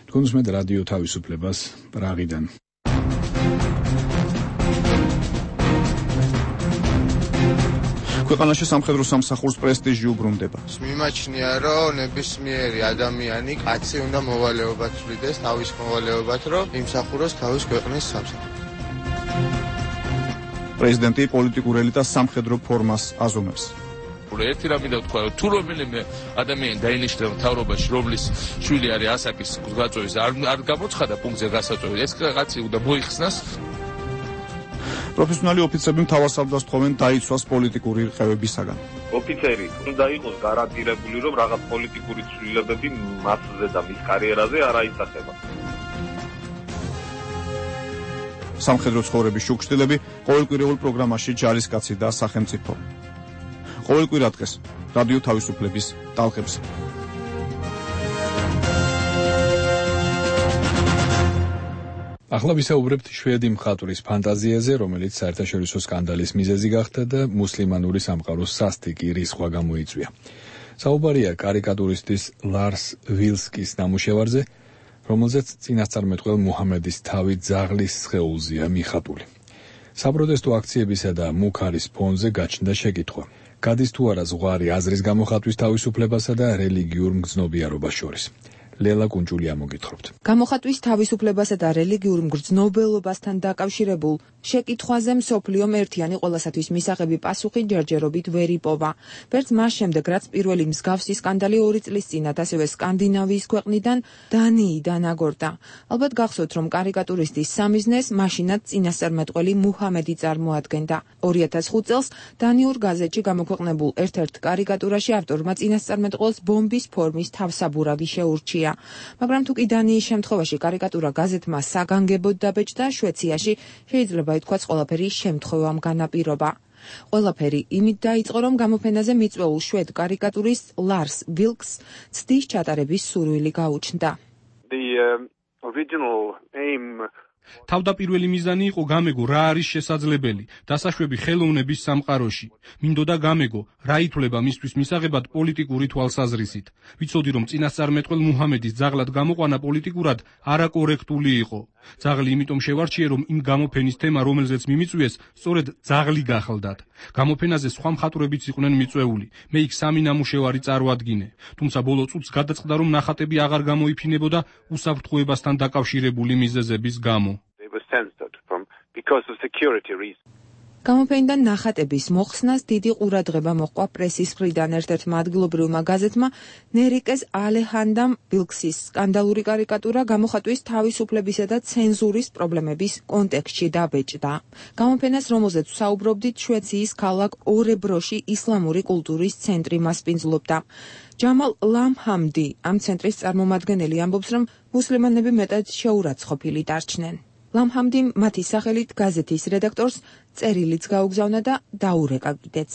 თქვენ უსმენთ რადიო თავისუფლებას პრაღიდან. ქვეყანაში სამხედრო სამსახურს პრესტიჟი უბრუნდება. მიმაჩნია, რომ ნებისმიერი ადამიანი, კაცი უნდა მოვალეობად ვლიდეს, თავის მოვალეობად, რომ იმსახუროს თავის ქვეყნის სამსახურს. პრეზიდენტი პოლიტიკურ ელიტას სამხედრო ფორმას აზომებს. ერთი რამე და თქვა, თუ რომელიმე ადამიანი დაინიშნა მთავრობაში, რომლის შვილი არის ასაკის გაწევის, არ გამოცხადა პუნქტზე გასაწევი, ეს კაცი უნდა მოიხსნას. პროფესიონალი ოფიცრები მთავარ სარდლას თხოვენ დაიცვას პოლიტიკური რყევებისაგან. ოფიცერი უნდა იყოს გარანტირებული, რომ რაღაც პოლიტიკური ცვლილებები მასზე და მის კარიერაზე არ აისახება. სამხედრო ცხოვრების შუქშტილები ყოველკვირეულ პროგრამაში ჯარისკაცი და სახელმწიფო. ყოველ კვირა დღეს რადიო თავისუფლების ტალღებზე. ახლა ვისაუბრებთ შვედი მხატვრის ფანტაზიაზე, რომელიც საერთაშორისო სკანდალის მიზეზი გახდა და მუსლიმანური სამყაროს სასტიკი რისხვა გამოიწვია. საუბარია კარიკატურისტის ლარს ვილსკის ნამუშევარზე, რომელზეც წინასწარმეტყველ მუჰამედის თავი ძაღლის სხეულზეა მიხატული. საპროტესტო აქციებისა და მუქარის ფონზე გაჩნდა შეკითხვა: გადის თუ არა ზღვარი აზრის გამოხატვის თავისუფლებასა და რელიგიურ მგრძნობიარობას შორის? ლელა კუნჭულია მოგითხრობთ. გამოხატვის თავისუფლებასა და რელიგიურ მგრძნობელობასთან დაკავშირებულ შეკითხვაზე მსოფლიომ ერთიანი ყველასათვის მისაღები პასუხი ჯერჯერობით ვერ იპოვა. ვერც მას შემდეგ, რაც პირველი მსგავსი სკანდალი 2 წლის წინათ ასევე სკანდინავიის ქვეყნიდან დანიიდან აგორდა. ალბათ გახსოვთ, რომ კარიკატურისტის სამიზნეს მაშინაც წინასწარმეტყველი მუჰამედი წარმოადგენდა. 2005 წელს დანიურ გაზეთში გამოქვეყნებულ ერთ-ერთ კარიკატურაში ავტორმა წინასწარმეტყველს ბომბის ფორმის თავსაბურავი შეურჩია. მაგრამ თუ კი დანიის შემთხვევაში კარიკატურა გაზეთმა საგანგებოდ დაბეჭდა, შვეციაში შეიძლება ითქვას ყველაფერი შემთხვევამ განაპირობა. ყველაფერი იმით დაიწყო, რომ გამოფენაზე მიწვეულ შვედ კარიკატურის ლარს ვილკს ცდის ჩატარების სურვილი გაუჩნდა. The original aim თავდაპირველი მიზანი იყო გამეგო რა არის შესაძლებელი დასაშვები ხელოვნების სამყაროში. მინდოდა გამეგო რა ითვლება მისთვის მისაღებად პოლიტიკური თვალსაზრისით. ვიცოდი რომ წინასწარმეტყველ მუჰამედის ძაღლად გამოყვანა პოლიტიკურად არაკორექტული იყო. ძაღლი იმიტომ შევარჩიე რომ იმ გამოფენის თემა რომელზეც მიმიწვიეს სწორედ ძაღლი გახლდათ. გამოფენაზე სხვა მხატვრებიც იყვნენ მიწვეული. მე იქ სამი ნამუშევარი წარვადგინე. თუმცა ბოლო წუთს გადაწყდა რომ ნახატები აღარ გამოიფინებოდა უსაფრთხოებასთან დაკავშირებული მიზეზების გამო. გამოფენიდან ნახატების მოხსნას დიდი ყურადღება მოჰყვა პრესის მხრიდან. ერთ-ერთმა ადგილობრივმა გაზეთმა ნერიკეს ალეჰანდამ ბილქსის სკანდალური კარიკატურა გამოხატვის თავისუფლებისა და ცენზურის პრობლემების კონტექსტში დაბეჭდა. გამოფენას, რომელზეც ვსაუბრობდით, შვეიცარიის ქალაქ ორებროში ისლამური კულტურის ცენტრი მასპინძლობდა. ჯამალ ლამჰამდი, ამ ცენტრის წარმომადგენელი, ამბობს, რომ მუსლიმანები მეტად შეურაცხყოფილი დარჩნენ. ლამჰამდიმ მათი სახელით გაზეთის რედაქტორს წერილიც გაუგზავნა და დაურეკა კიდეც.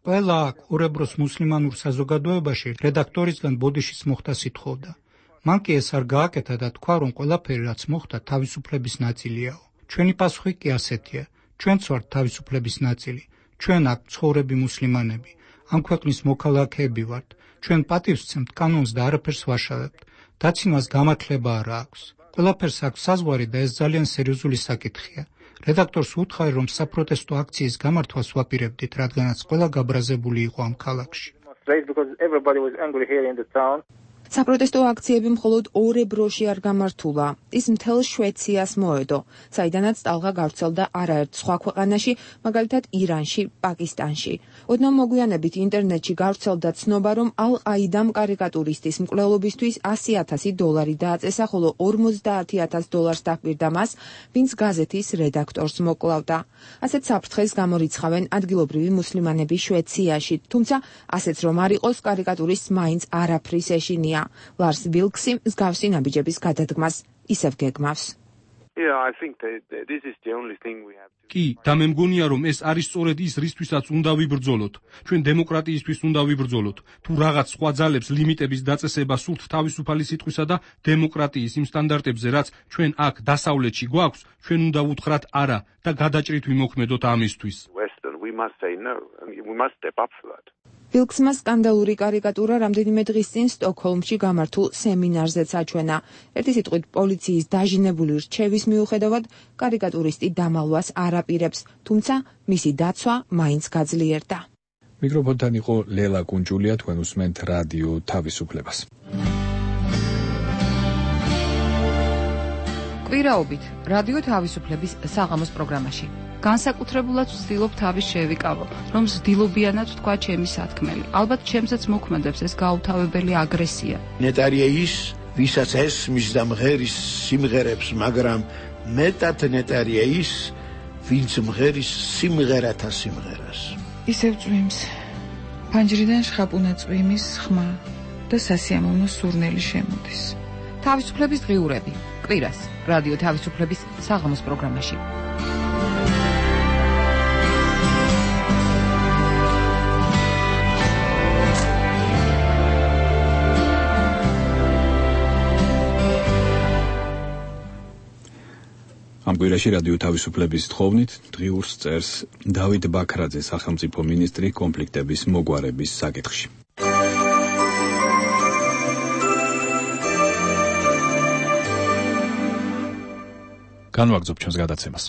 ყველა აქ ორებროს მუსლიმანურ საზოგადოებაში რედაქტორისგან ბოდიშის მოხდა სითხოვდა. მან კი ეს არ გააკეთა და თქვა, რომ ყველაფერი რაც მოხდა თავისუფლების ნაწილიაო. ჩვენი პასუხი კი ასეთია. ჩვენც ვართ თავისუფლების ნაწილი. ჩვენ აქ ცხოვრები მუსლიმანები. ამ ქვეყნის მოქალაქეები ვართ. ჩვენ პატივს ვცემთ კანონს და არაფერს ვაშავებთ. დაცინვას გამართლება არ აქვს. ყველაფერს აქვს საზღვარი და ეს ძალიან სერიოზული საკითხია. რედაქტორს უთხარი, რომ საპროტესტო აქციის გამართვას ვაპირებდით, რადგანაც ყველა გაბრაზებული იყო ამ ქალაქში. საპროტესტო აქციები მხოლოდ ორებროში არ გამართულა. ის მთელ შვეიცარიას მოედო, საიდანაც ტალღა გავრცელდა არაერთ სხვა ქვეყანაში, მაგალითად ირანში, პაკისტანში. ოდნავ მოგვიანებით ინტერნეტში გავრცელდა ცნობა, რომ ალ-ყაიდამ კარიკატურისტის მკვლელობისთვის $100,000 დააწესა, ხოლო $50,000 დაჰკვირდა მას, ვინც გაზეთის რედაქტორს მოკლავდა. ასეთ საფრთხეს გამორიცხავენ ადგილობრივი მუსლიმანები შვეიცარიაში, თუმცა ასეც რომ არ იყოს, კარიკატურისტს მაინც არაფრის ეშინია. ლარს ბილქსი მსგავსი ნაბიჯების გადადგმას ისევ გეგმავს. კი, და მე მგონია, რომ ეს არის სწორედ ის, რისთვისაც უნდა ვიბრძოლოთ. ჩვენ დემოკრატიისთვის უნდა ვიბრძოლოთ. თუ რაღაც სხვა ძალებს ლიმიტების დაწესება სურთ თავისუფალი სიტყვისა და დემოკრატიის იმ სტანდარტებზე, რაც ჩვენ აქ დასავლეთში გვაქვს, ჩვენ უნდა ვუთხრათ არა და გადაჭრით ვიმოქმედოთ ამისთვის. ბილქსმა სკანდალური კარიკატურა რამდენიმე დღის წინ სტოკჰოლმში გამართულ სემინარზეც აჩვენა. ერთი სიტყვით პოლიციის დაჟინებული რჩევის მიუხედავად კარიკატურისტი დამალვას არ აპირებს, თუმცა მისი დაცვა მაინც გაძლიერდა. მიკროფონთან იყო ლელა კუნჭულია, თქვენ უსმენთ რადიო თავისუფლებას. კვირაობით რადიო თავისუფლების საღამოს პროგრამაში. განსაკუთრებულად ვცდილობ თავის შევიკავო, რომ ზრდილობიანად თქვა ჩემი სათქმელი. ალბათ ჩემსაც მოქმედებს ეს გაუთავებელი აგრესია. ნეტარია ის, ვისაც ესმის და მღერის სიმღერებს, მაგრამ მეტად ნეტარია ის, ვინც მღერის სიმღერათა სიმღერას. ისევ წვიმს. ფანჯრიდან შხაპუნა წვიმის ხმა და სასიამოვნო სურნელი შემოდის. თავისუფლების დღიურები. კვირას რადიო თავისუფლების საღამოს პროგრამაში. ამ კვირაში რადიო თავისუფლების თხოვნით დღიურს წერს დავით ბაქრაძე, სახელმწიფო მინისტრი კონფლიქტების მოგვარების საკითხში. განვაგრძობ ჩვენს გადაცემას.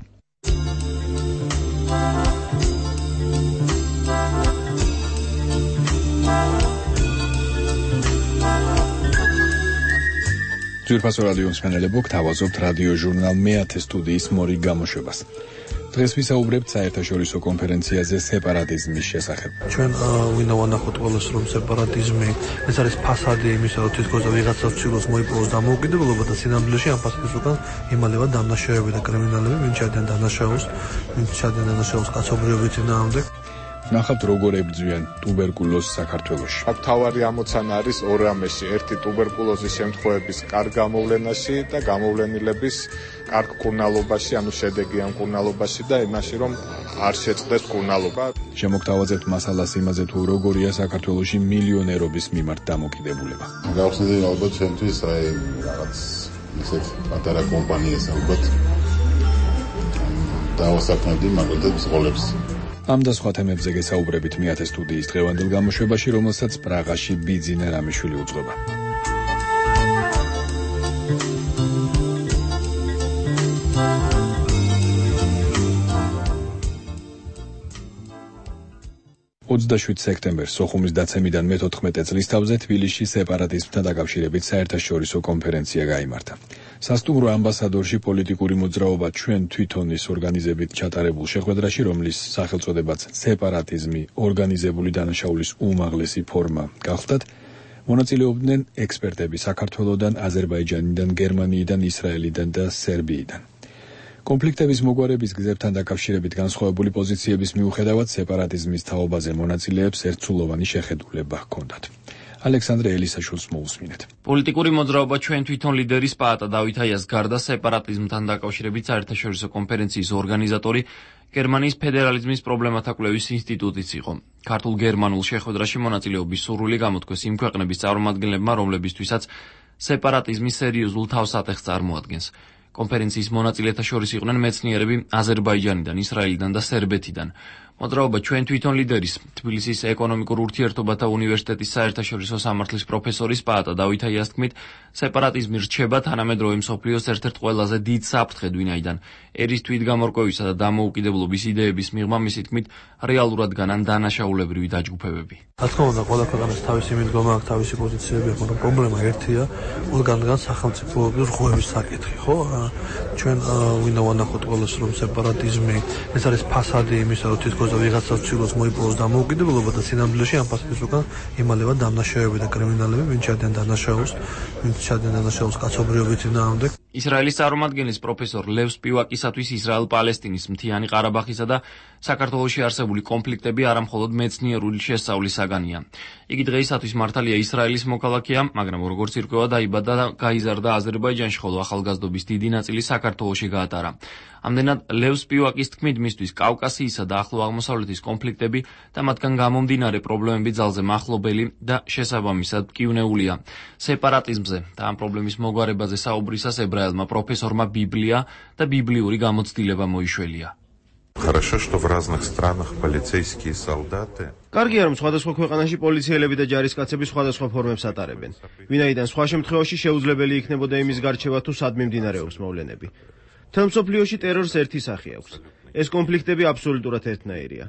ძვირფასო რადიო მსმენელებო, გთავაზობთ რადიო ჟურნალ მეათე სტუდიის მორიგ გამოშვებას. დღეს ვისაუბრებთ საერთაშორისო კონფერენციაზე სეპარატიზმის შესახებ. ჩვენ ვინდა ვანახოთ ყველას, რომ სეპარატიზმი ეს არის ფასადი იმისა, რომ თითქოს ვიღაცა ცდილობს მოიპოვოს დამოუკიდებლობა და სინამდვილეში ამ ფასადის უკან იმალება დამნაშავეები და კრიმინალები, ვინც ჩადიან დანაშაულს კაცობრიობის წინააღმდეგ. ნახავთ როგორ ებრძვიან ტუბერკულოზს საქართველოში. აქ თავარი ამოცანა არის ორ რამეში, ერთი ტუბერკულოზის შემთხვევების კარგ გამოვლენაში და გამოვლენილების კარგ კურნალობაში, ანუ შედეგი ამ კურნალობაში და იმაში, რომ არ შეწყდეს კურნალობა. შემოგთავაზებთ მასალას იმაზე, თუ როგორია საქართველოში მილიონერობის მიმართ დამოკიდებულება. გავხსნილი ალბათ ჩვენთვის რაღაც ისეთ პატარა კომპანიას ალბათ დავასაქმებდი მაგალითად ბრძოლებს. ამ და სხვა თემებზე გესაუბრებით მეათე სტუდიის დღევანდელ გამოშვებაში, რომელსაც პრაღაში ბიძინა რამიშვილი უძღვება. სექტემბერს სოხუმის დაცემიდან მე-14 წლის თავზე თბილისში სეპარატიზმთან დაკავშირებით საერთაშორისო კონფერენცია გაიმართა. სასტუმრო ამბასადორში პოლიტიკური მოძრაობა ჩვენ თვითონის ორგანიზებით ჩატარებულ შეხვედრაში, რომლის სახელწოდებაც სეპარატიზმი ორგანიზებული დანაშაულის უმაღლესი ფორმა გახდათ, მონაწილეობდნენ ექსპერტები საქართველოდან, აზერბაიჯანიდან, გერმანიიდან, ისრაელიდან და სერბიიდან. კონფლიქტების მოგვარების გზებთან დაკავშირებით განსხვავებული პოზიციების მიუხედავად სეპარატიზმის თაობაზე მონაწილეებს ერთსულოვანი შეხედულება ჰქონდათ. ალექსანდრე ელისაშვილს მოусმინეთ. პოლიტიკური მოძრაობა ჩვენ თვითონ ლიდერის პაატა დავით აიას გარდა სეპარატიზმთან დაკავშირებით საერთაშორისო კონფერენციის ორგანიზატორი გერმანიის ფედერალიზმის პრობლემათა კვლევის ინსტიტუტიც იყო. ქართულ-გერმანულ შეხვედრაში მონაწილეობის სურვილი გამოთქვეს იმ ქვეყნების წარმომადგენლებმა, რომლებისთვისაც სეპარატიზმი სერიოზულ თავსატეხს წარმოადგენს. კონფერენციის მონაწილეთა შორის იყვნენ მეცნიერები აზერბაიჯანიდან, ისრაელიდან და სერბეთიდან. მოძრაობა ჩვენ თვითონ ლიდერის თბილისის ეკონომიკურ ურთიერთობათა უნივერსიტეტის საერთაშორისო სამართლის პროფესორის პაატა დავით აიას თქმით, სეპარატიზმი რჩება თანამედროვე მსოფლიოს ერთ-ერთ ყველაზე დიდ საფრთხედ, ვინაიდან ერის თვითგამორკვევისა და დამოუკიდებლობის იდეების მიღმა მისი თქმით რეალურად განან დანაშაულებრივი დაჯგუფებები. რა თქმა უნდა, ყველა ქვეყანას თავისი მიდგომა აქვს, თავისი პოზიციები აქვს, მაგრამ პრობლემა ერთია, ყველგან სახელმწიფოების რღვევის საკითხი, ხო? ჩვენ ვინდა ვანახოთ ყველას, რომ სეპარატიზმი ეს არის ფასადი იმისა, რომ თითქოს და ვიღაცას ცდილობს მოიპოვოს დამოუკიდებლობა და სინამდვილეში ამ ფასადის უკან იმალება დამნაშავეები და კრიმინალები, ვინც ჩადიან დანაშაულს კაცობრიობის წინააღმდეგ. ისრაელის წარმომადგენლის პროფესორ ლევ სპივაკისათვის ისრაელ-პალესტინის მთიანი ყარაბაღისა და საქართველოში არსებული კონფლიქტები არამხოლოდ მეცნიერული შესწავლის საგანია. იგი დღეისათვის მართალია ისრაელის მოქალაქეა, მაგრამ როგორც ირკვევა დაიბადა და გაიზარდა აზერბაიჯანში, ხოლო ახალგაზრდობის დიდი ნაწილი საქართველოში გაატარა. ამდენად ლევ სპივაკის თქმით, მისთვის კავკასიისა და ახლო აღმოსავლეთის კონფლიქტები და მათგან გამომდინარე პრობლემები ძალზე მახლობელი და შესაბამისად მკივნეულია. სეპარატიზმზე და ამ პრობლემის მოგვარებაზე საუბრისას ებრაელმა პროფესორმა ბიბლია და ბიბლიური გამოცდილება მოიშველია. Хорошо, что в разных странах полицейские солдаты. კარგია, რომ სხვადასხვა ქვეყანაში პოლიციელები და ჯარისკაცები სხვადასხვა ფორმებს ატარებენ. ვინაიდან სხვა შემთხვევაში შეუძლებელი იქნებოდა იმის გარჩევა თუ სად მიმდინარეობს მოვლენები. მთელ მსოფლიოში ტერორს ერთი სახე აქვს. ეს კონფლიქტები აბსოლუტურად ერთნაირია.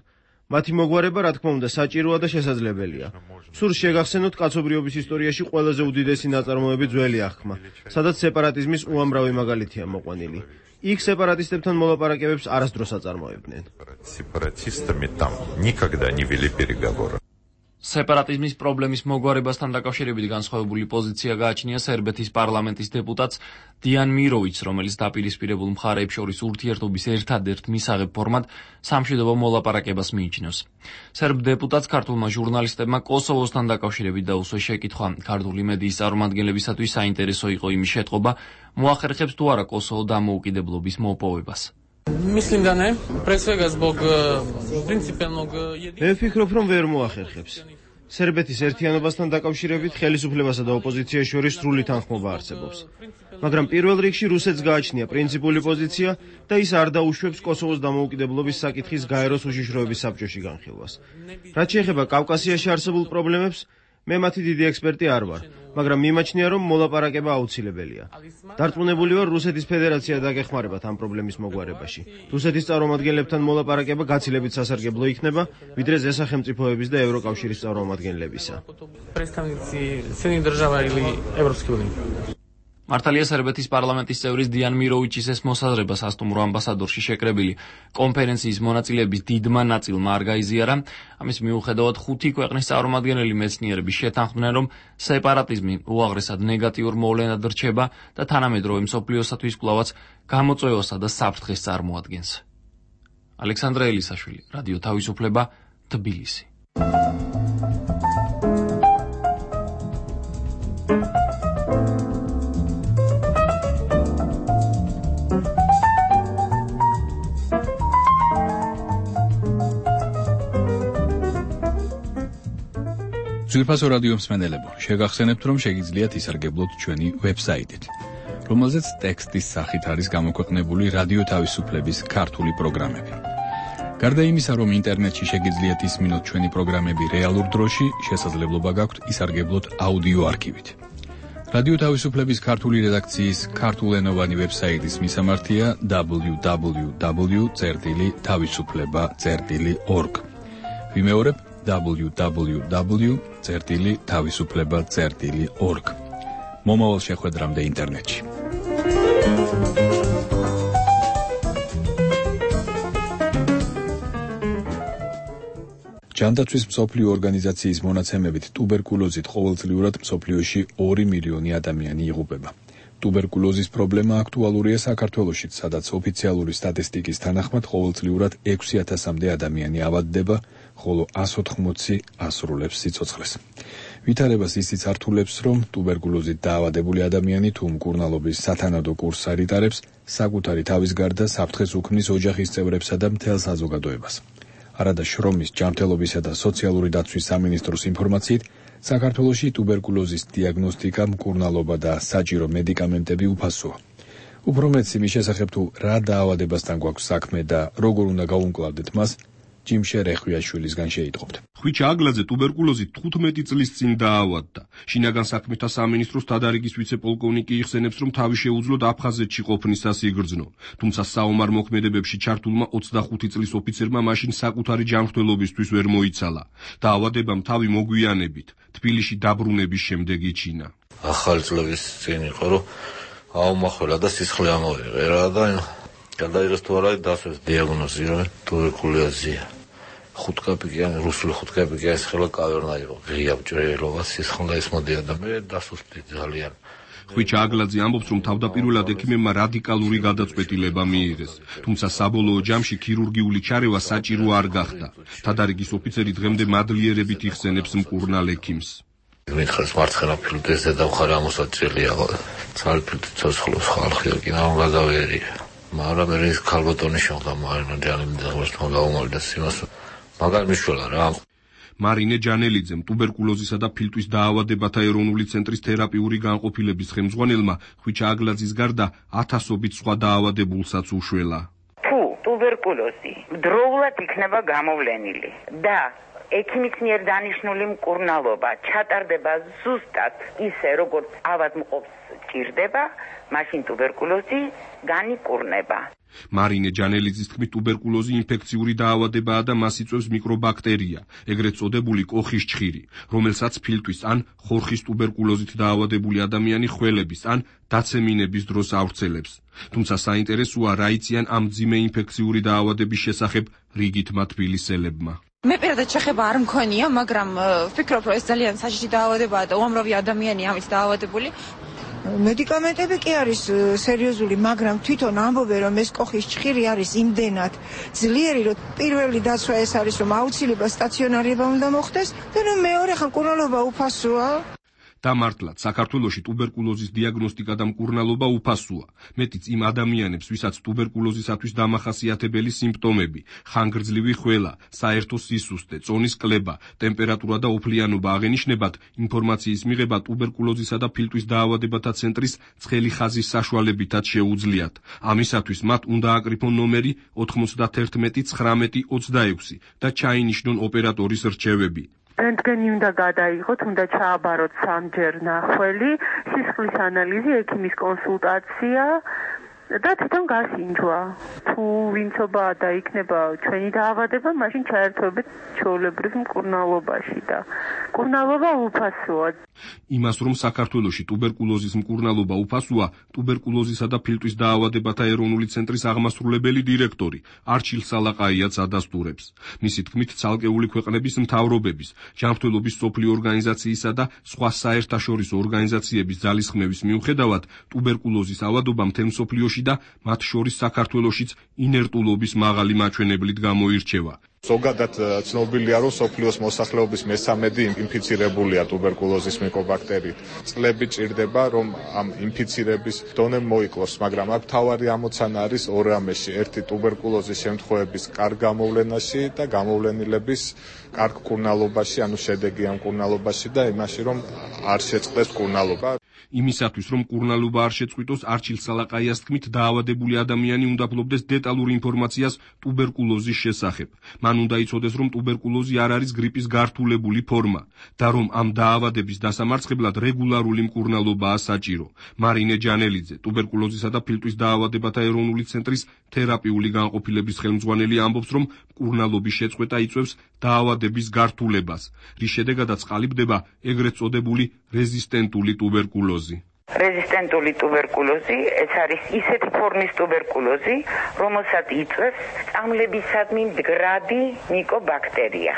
მათი მოგვარება, რა თქმა უნდა, საჭიროა და შესაძლებელია. სურს შეგახსენოთ კაცობრიობის ისტორიაში ყველაზე უდიდესი ნაწარმოები ძველი აღქმა, სადაც სეპარატიზმის უამრავი მაგალითია მოყვანილი. იქ სეპარატისტებთან მოლაპარაკებებს არასდროს აწარმოებდნენ. Сепаратистами там никогда не вели переговоры. სეპარატიზმის პრობლემის მოგვარებასთან დაკავშირებით განსხვავებული პოზიცია გააჩნია სერბეთის პარლამენტის დეპუტატს დიან მიროვიჩს, რომელიც დაპირისპირებულ მხარეებს შორის ურთიერთობის ერთადერთ მისაღებ ფორმად სამშვიდობო მოლაპარაკებას მიიჩნევს. სერბ დეპუტატს ქართულმა ჟურნალისტებმა კოსოვოსთან დაკავშირებით დაუსვეს შეკითხვა. ქართული მედიის წარმომადგენლებისათვის საინტერესო იყო იმის შეტყობა, მოახერხებს თუ არა კოსოვო დამოუკიდებლობის მოპოვებას. Mislim da ne. Pre svega zbog principijelnog მე ვფიქრობ, რომ ვერ მოახერხებს. სერბეთის ერთიანობასთან დაკავშირებით ხელისუფლებასა და ოპოზიციას შორის სრული თანხმობა არსებობს. მაგრამ პირველ რიგში რუსეთს გააჩნია პრინციპული პოზიცია და ის არ დაუშვებს კოსოვოს დამოუკიდებლობის საკითხის გაეროს უშიშროების საბჭოში განხილვას. რაც შეეხება კავკასიაში არსებულ პრობლემებს, მე მათი დიდი ექსპერტი არ ვარ, მაგრამ მიმაჩნია, რომ მოლაპარაკება აუცილებელია. დარწმუნებული ვარ, რუსეთის ფედერაცია დაგეხმარებათ ამ პრობლემის მოგვარებაში. რუსეთის წარმომადგენლებთან მოლაპარაკება გაცილებით სასარგებლო იქნება, ვიდრე ზესახელმწიფოების და ევროკავშირის წარმომადგენლებისა. მართალია სერბეთის პარლამენტის წევრის დიან მიროვიჩის ეს მოსაზრება სასტუმრო ამბასადორში შეკრებილი კონფერენციის მონაწილეების დიდმა ნაწილმა არ გაიზიარა. ამის მიუხედავად 5 ქვეყნის წარმომადგენელი მეცნიერები შეთანხმდნენ, რომ სეპარატიზმი უაღრესად ნეგატიურ მოვლენად რჩება და თანამედროვე მსოფლიოსათვის კვლავაც გამოწვევასა და საფრთხეს წარმოადგენს. ალექსანდრე ელისაშვილი, რადიო თავისუფლება, თბილისი. ძვირფასო რადიო მსმენელებო, შეგახსენებთ, რომ შეგიძლიათ ისარგებლოთ ჩვენი ვებსაიტით. რომელზეც ტექსტის სახით არის გამოქვეყნებული რადიო თავისუფლების ქართული პროგრამები. გარდა იმისა, რომ ინტერნეტში შეგიძლიათ ისმინოთ ჩვენი პროგრამები რეალურ დროში, შესაძლებლობა გაქვთ ისარგებლოთ აუდიო არქივით. რადიო თავისუფლების ქართული რედაქციის ქართულენოვანი ვებსაიტის მისამართია www.tavisufleba.org. ვიმეორებ www.tavisufleba.org. მომავალ შეხვედრამდე ინტერნეტში. ჯანდაცვის მსოფლიო ორგანიზაციის მონაცემებით ტუბერკულოზით ყოველწლიურად მსოფლიოში 2 მილიონი ადამიანი იღუპება. ტუბერკულოზის პრობლემა აქტუალურია საქართველოშიც, სადაც ოფიციალური სტატისტიკის თანახმად ყოველწლიურად 6,000-მდე ადამიანი ავადდება, ხოლო 180 ასრულებს სიცოცხლეს. ვითარებას ისიც ართულებს, რომ ტუბერკულოზით დაავადებული ადამიანი თუ მკურნალობის სათანადო კურსს არ იტარებს, საკუთარი თავის გარდა საფრთხეს უქმნის ოჯახის წევრებსა და მთელ საზოგადოებას. არადა შრომის, ჯანმრთელობისა და სოციალური დაცვის სამინისტროს ინფორმაციით, საქართველოში ტუბერკულოზის დიაგნოსტიკა, მკურნალობა და საჭირო მედიკამენტები უფასოა. უფრო მეტს იმის შესახებ თუ რა დაავადებასთან გვაქვს საქმე და როგორ უნდა გავუმკლავდეთ მას, ჯიმშე რეხვიაშვილისგან შეიტყობთ. ხვიჩა აგლაძე ტუბერკულოზით 15 წლის წინ დაავადდა. შინაგან საქმეთა სამინისტროს დადარიგის ვიცე-პოლკოვნიკი იხსენებს, რომ თავი შეუძლოდ აფხაზეთში ყოფნისას იგრძნო. თუმცა საომარ მოქმედებებში ჩართულმა 25 წლის ოფიცერმა მაშინ საკუთარი ჯანმრთელობისთვის ვერ მოიცალა. დაავადებამ თავი მოგვიანებით თბილისში დაბრუნების შემდეგ იჩინა. ახალი წლების წინ იყო, რომ აუმახველა და სისხლი ამოიღერა და გადაიღეს თუ არა დასვეს დიაგნოზი, რომ ტუბერკულოზია. ხუთკაპიკიანი, რუსული ხუთკაპიკიანი ხელა კავერნა იყო, ღია ჭრელობა, სისხლი ისმოდია და მე დასუსტი ძალიან. ხვიჩა აგლაძე ამბობს, რომ თავდაპირველად ექიმებმა რადიკალური გადაწყვეტილება მიიღეს, თუმცა საბოლოო ჯამში ქირურგიული ჩარევა საჭირო არ გახდა. თადარიგის ოფიცერი დღემდე მადლიერებით იხსენებს მკურნალ ექიმს. მითხარს მარცხენა ფილტვზე და მხარე ამოსაჭრელია, ცალ ფილტვით ცოცხლობს ხალხი, კინო გადავერია. მაგრამ ეს ქალბატონი შევდა მარინე ჯანელიძეს მოგაუმალდა სიმას მაგარ მიშველა რა. მარინე ჯანელიძემ ტუბერკულოზისა და ფილტვის დაავადებათა ეროვნული ცენტრის თერაპიული განყოფილების ხელმძღვანელმა ხვიჩა აგლაძის გარდა 1000-ობით სხვა დაავადებულსაც უშველა. თუ ტუბერკულოზი დროულად იქნება გამოვლენილი და ექიმის მიერ დანიშნული მკურნალობა ჩატარდება ზუსტად ისე, როგორც ავადმყოფს ჭირდება, მაშინ ტუბერკულოზი განიკურნება. მარინე ჯანელიძის თქმით, ტუბერკულოზი ინფექციური დაავადებაა და მას იწვევს მიკრობაქტერია, ეგრეთ წოდებული კოხის ჩხირი, რომელსაც ფილტვის ან ხორხის ტუბერკულოზით დაავადებული ადამიანი ხველების ან დაცემინების დროს ავრცელებს. თუმცა საინტერესოა, რა იციან ამ მძიმე ინფექციური დაავადების შესახებ რიგითმა თბილისელებმა. მე პირადად შეხება არ მქონია, მაგრამ ვფიქრობ, რომ ეს ძალიან საშიში დაავადებაა და უამრავი ადამიანი ამით დაავადებული. მედიკამენტები კი არის სერიოზული, მაგრამ თვითონ ამბობენ, რომ ეს კოხის ჩხირი არის იმდენად ძლიერი, რომ პირველი დაცვა ეს არის, რომ აუცილებლად სტაციონარება უნდა მოხდეს და მეორე ხან მკურნალობა უფასოა. დამართლად, საქართველოში ტუბერკულოზის დიაგნოსტიკა და მკურნალობა უფასოა. მეტიც იმ ადამიანებს, ვისაც ტუბერკულოზისათვის დამახასიათებელი სიმპტომები, ხანგრძლივი ხველა, საერთო სისუსტე, წონის კლება, ტემპერატურა და ოფლიანობა აღენიშნებათ, ინფორმაციის მიღება ტუბერკულოზისა და ფილტვის დაავადებათა ცენტრის ცხელი ხაზის საშუალებითაც შეუძლიათ. ამისათვის მათ უნდა აკრიფონ ნომერი 91 19 26 და ჩაინიშნონ ოპერატორის რჩევები. რენტგენი უნდა გადაიღოთ, უნდა ჩააბაროთ 3-ჯერ ნახველი, სისხლის ანალიზი, ექიმის კონსულტაცია და თვითონ გასინჯვა. თუ ვინცობა და იქნება ჩვენი დაავადება, მაშინ ჩაერთვებით ჩვეულებრივ მკურნალობაში და მკურნალობა უფასოა. იმას, რომ საქართველოში ტუბერკულოზის მკურნალობა უფასოა, ტუბერკულოზისა და ფილტვის დაავადებათა ეროვნული ცენტრის აღმასრულებელი დირექტორი არჩილ სალაყაიაც ადასტურებს. მისი თქმით, ცალკეული ქვეყნების მთავრობების, ჯანმრთელობის მსოფლიო ორგანიზაციისა და სხვა საერთაშორისო ორგანიზაციების ძალისხმევის მიუხედავად, ტუბერკულოზის ავადობა მთელ მსოფლიოში და მათ შორის საქართველოშიც ინერტულობის მაღალი მაჩვენებლით გამოირჩევა. ზოგადად ცნობილია, რომ სოფლიოს მოსახლეობის 1/3 ინფიცირებულია ტუბერკულოზის მიკრობაქტერით. წლები ჭირდება, რომ ამ ინფიცირების დონე მოიკლოს, მაგრამ აქ მთავარი ამოცანა არის ორ რამეში: ერთი ტუბერკულოზის შემთხვევების კარგ გამოვლენაში და გამოვლენილების კარგ მკურნალობაში, ანუ შედეგიან მკურნალობაში და იმაში, რომ არ შეწყდეს მკურნალობა. იმისათვის, რომ მკურნალობა არ შეწყვიტოს, არჩილ სალაყაიას თქმით, დაავადებული ადამიანი უნდა ფლობდეს დეტალურ ინფორმაციას ტუბერკულოზის შესახებ. მან უნდა იცოდეს, რომ ტუბერკულოზი არ არის გრიპის გართულებული ფორმა და რომ ამ დაავადების დასამარცხებლად რეგულარული მკურნალობაა საჭირო. მარინე ჯანელიძე, ტუბერკულოზისა და ფილტვის დაავადებათა ეროვნული ცენტრის თერაპიული განყოფილების ხელმძღვანელი ამბობს, რომ მკურნალობის შეწყვეტა იწვევს დაავადების გართულებას, რის შედეგადაც ყალიბდება ეგრეთ წოდებული რეზისტენტული ტუბერკულოზი. რეზისტენტული ტუბერკულოზი ეს არის ისეთი ფორმის ტუბერკულოზი, რომელსაც იწვევს წამლებისადმი მდგრადი მიკობაქტერია.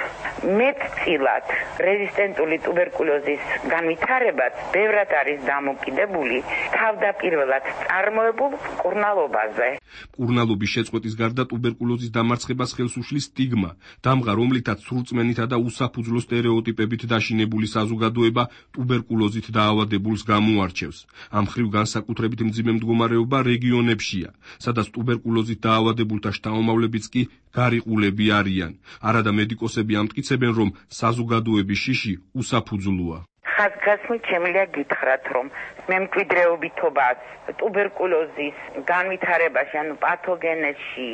მეტწილად რეზისტენტული ტუბერკულოზის განვითარებაც ბევრად არის დამოკიდებული თავდაპირველად წარმოებულ მკურნალობაზე. მკურნალობის შეწყვეტის გარდა ტუბერკულოზის დამარცხებას ხელს უშლის სტიგმა, დამღა, რომლითაც სრულწმენითა და უსაფუძვლო სტერეოტიპებით დაშინებული საზოგადოება ტუბერკულოზით დაავადებულს გამოარჩევს. ამ ხრივ განსაკუთრებით მძიმე მდგომარეობა რეგიონებშია, სადაც ტუბერკულოზით დაავადებულთა შთამომავლებიც კი გარიყულები არიან. არადა მედიკოსები ამტკიცებენ, რომ საზოგადოების შიში უსაფუძვლოა. ხაზგასმით შემიძლია გითხრათ, რომ მემკვიდრეობითობას ტუბერკულოზის განვითარებაში, ანუ პათოგენეზში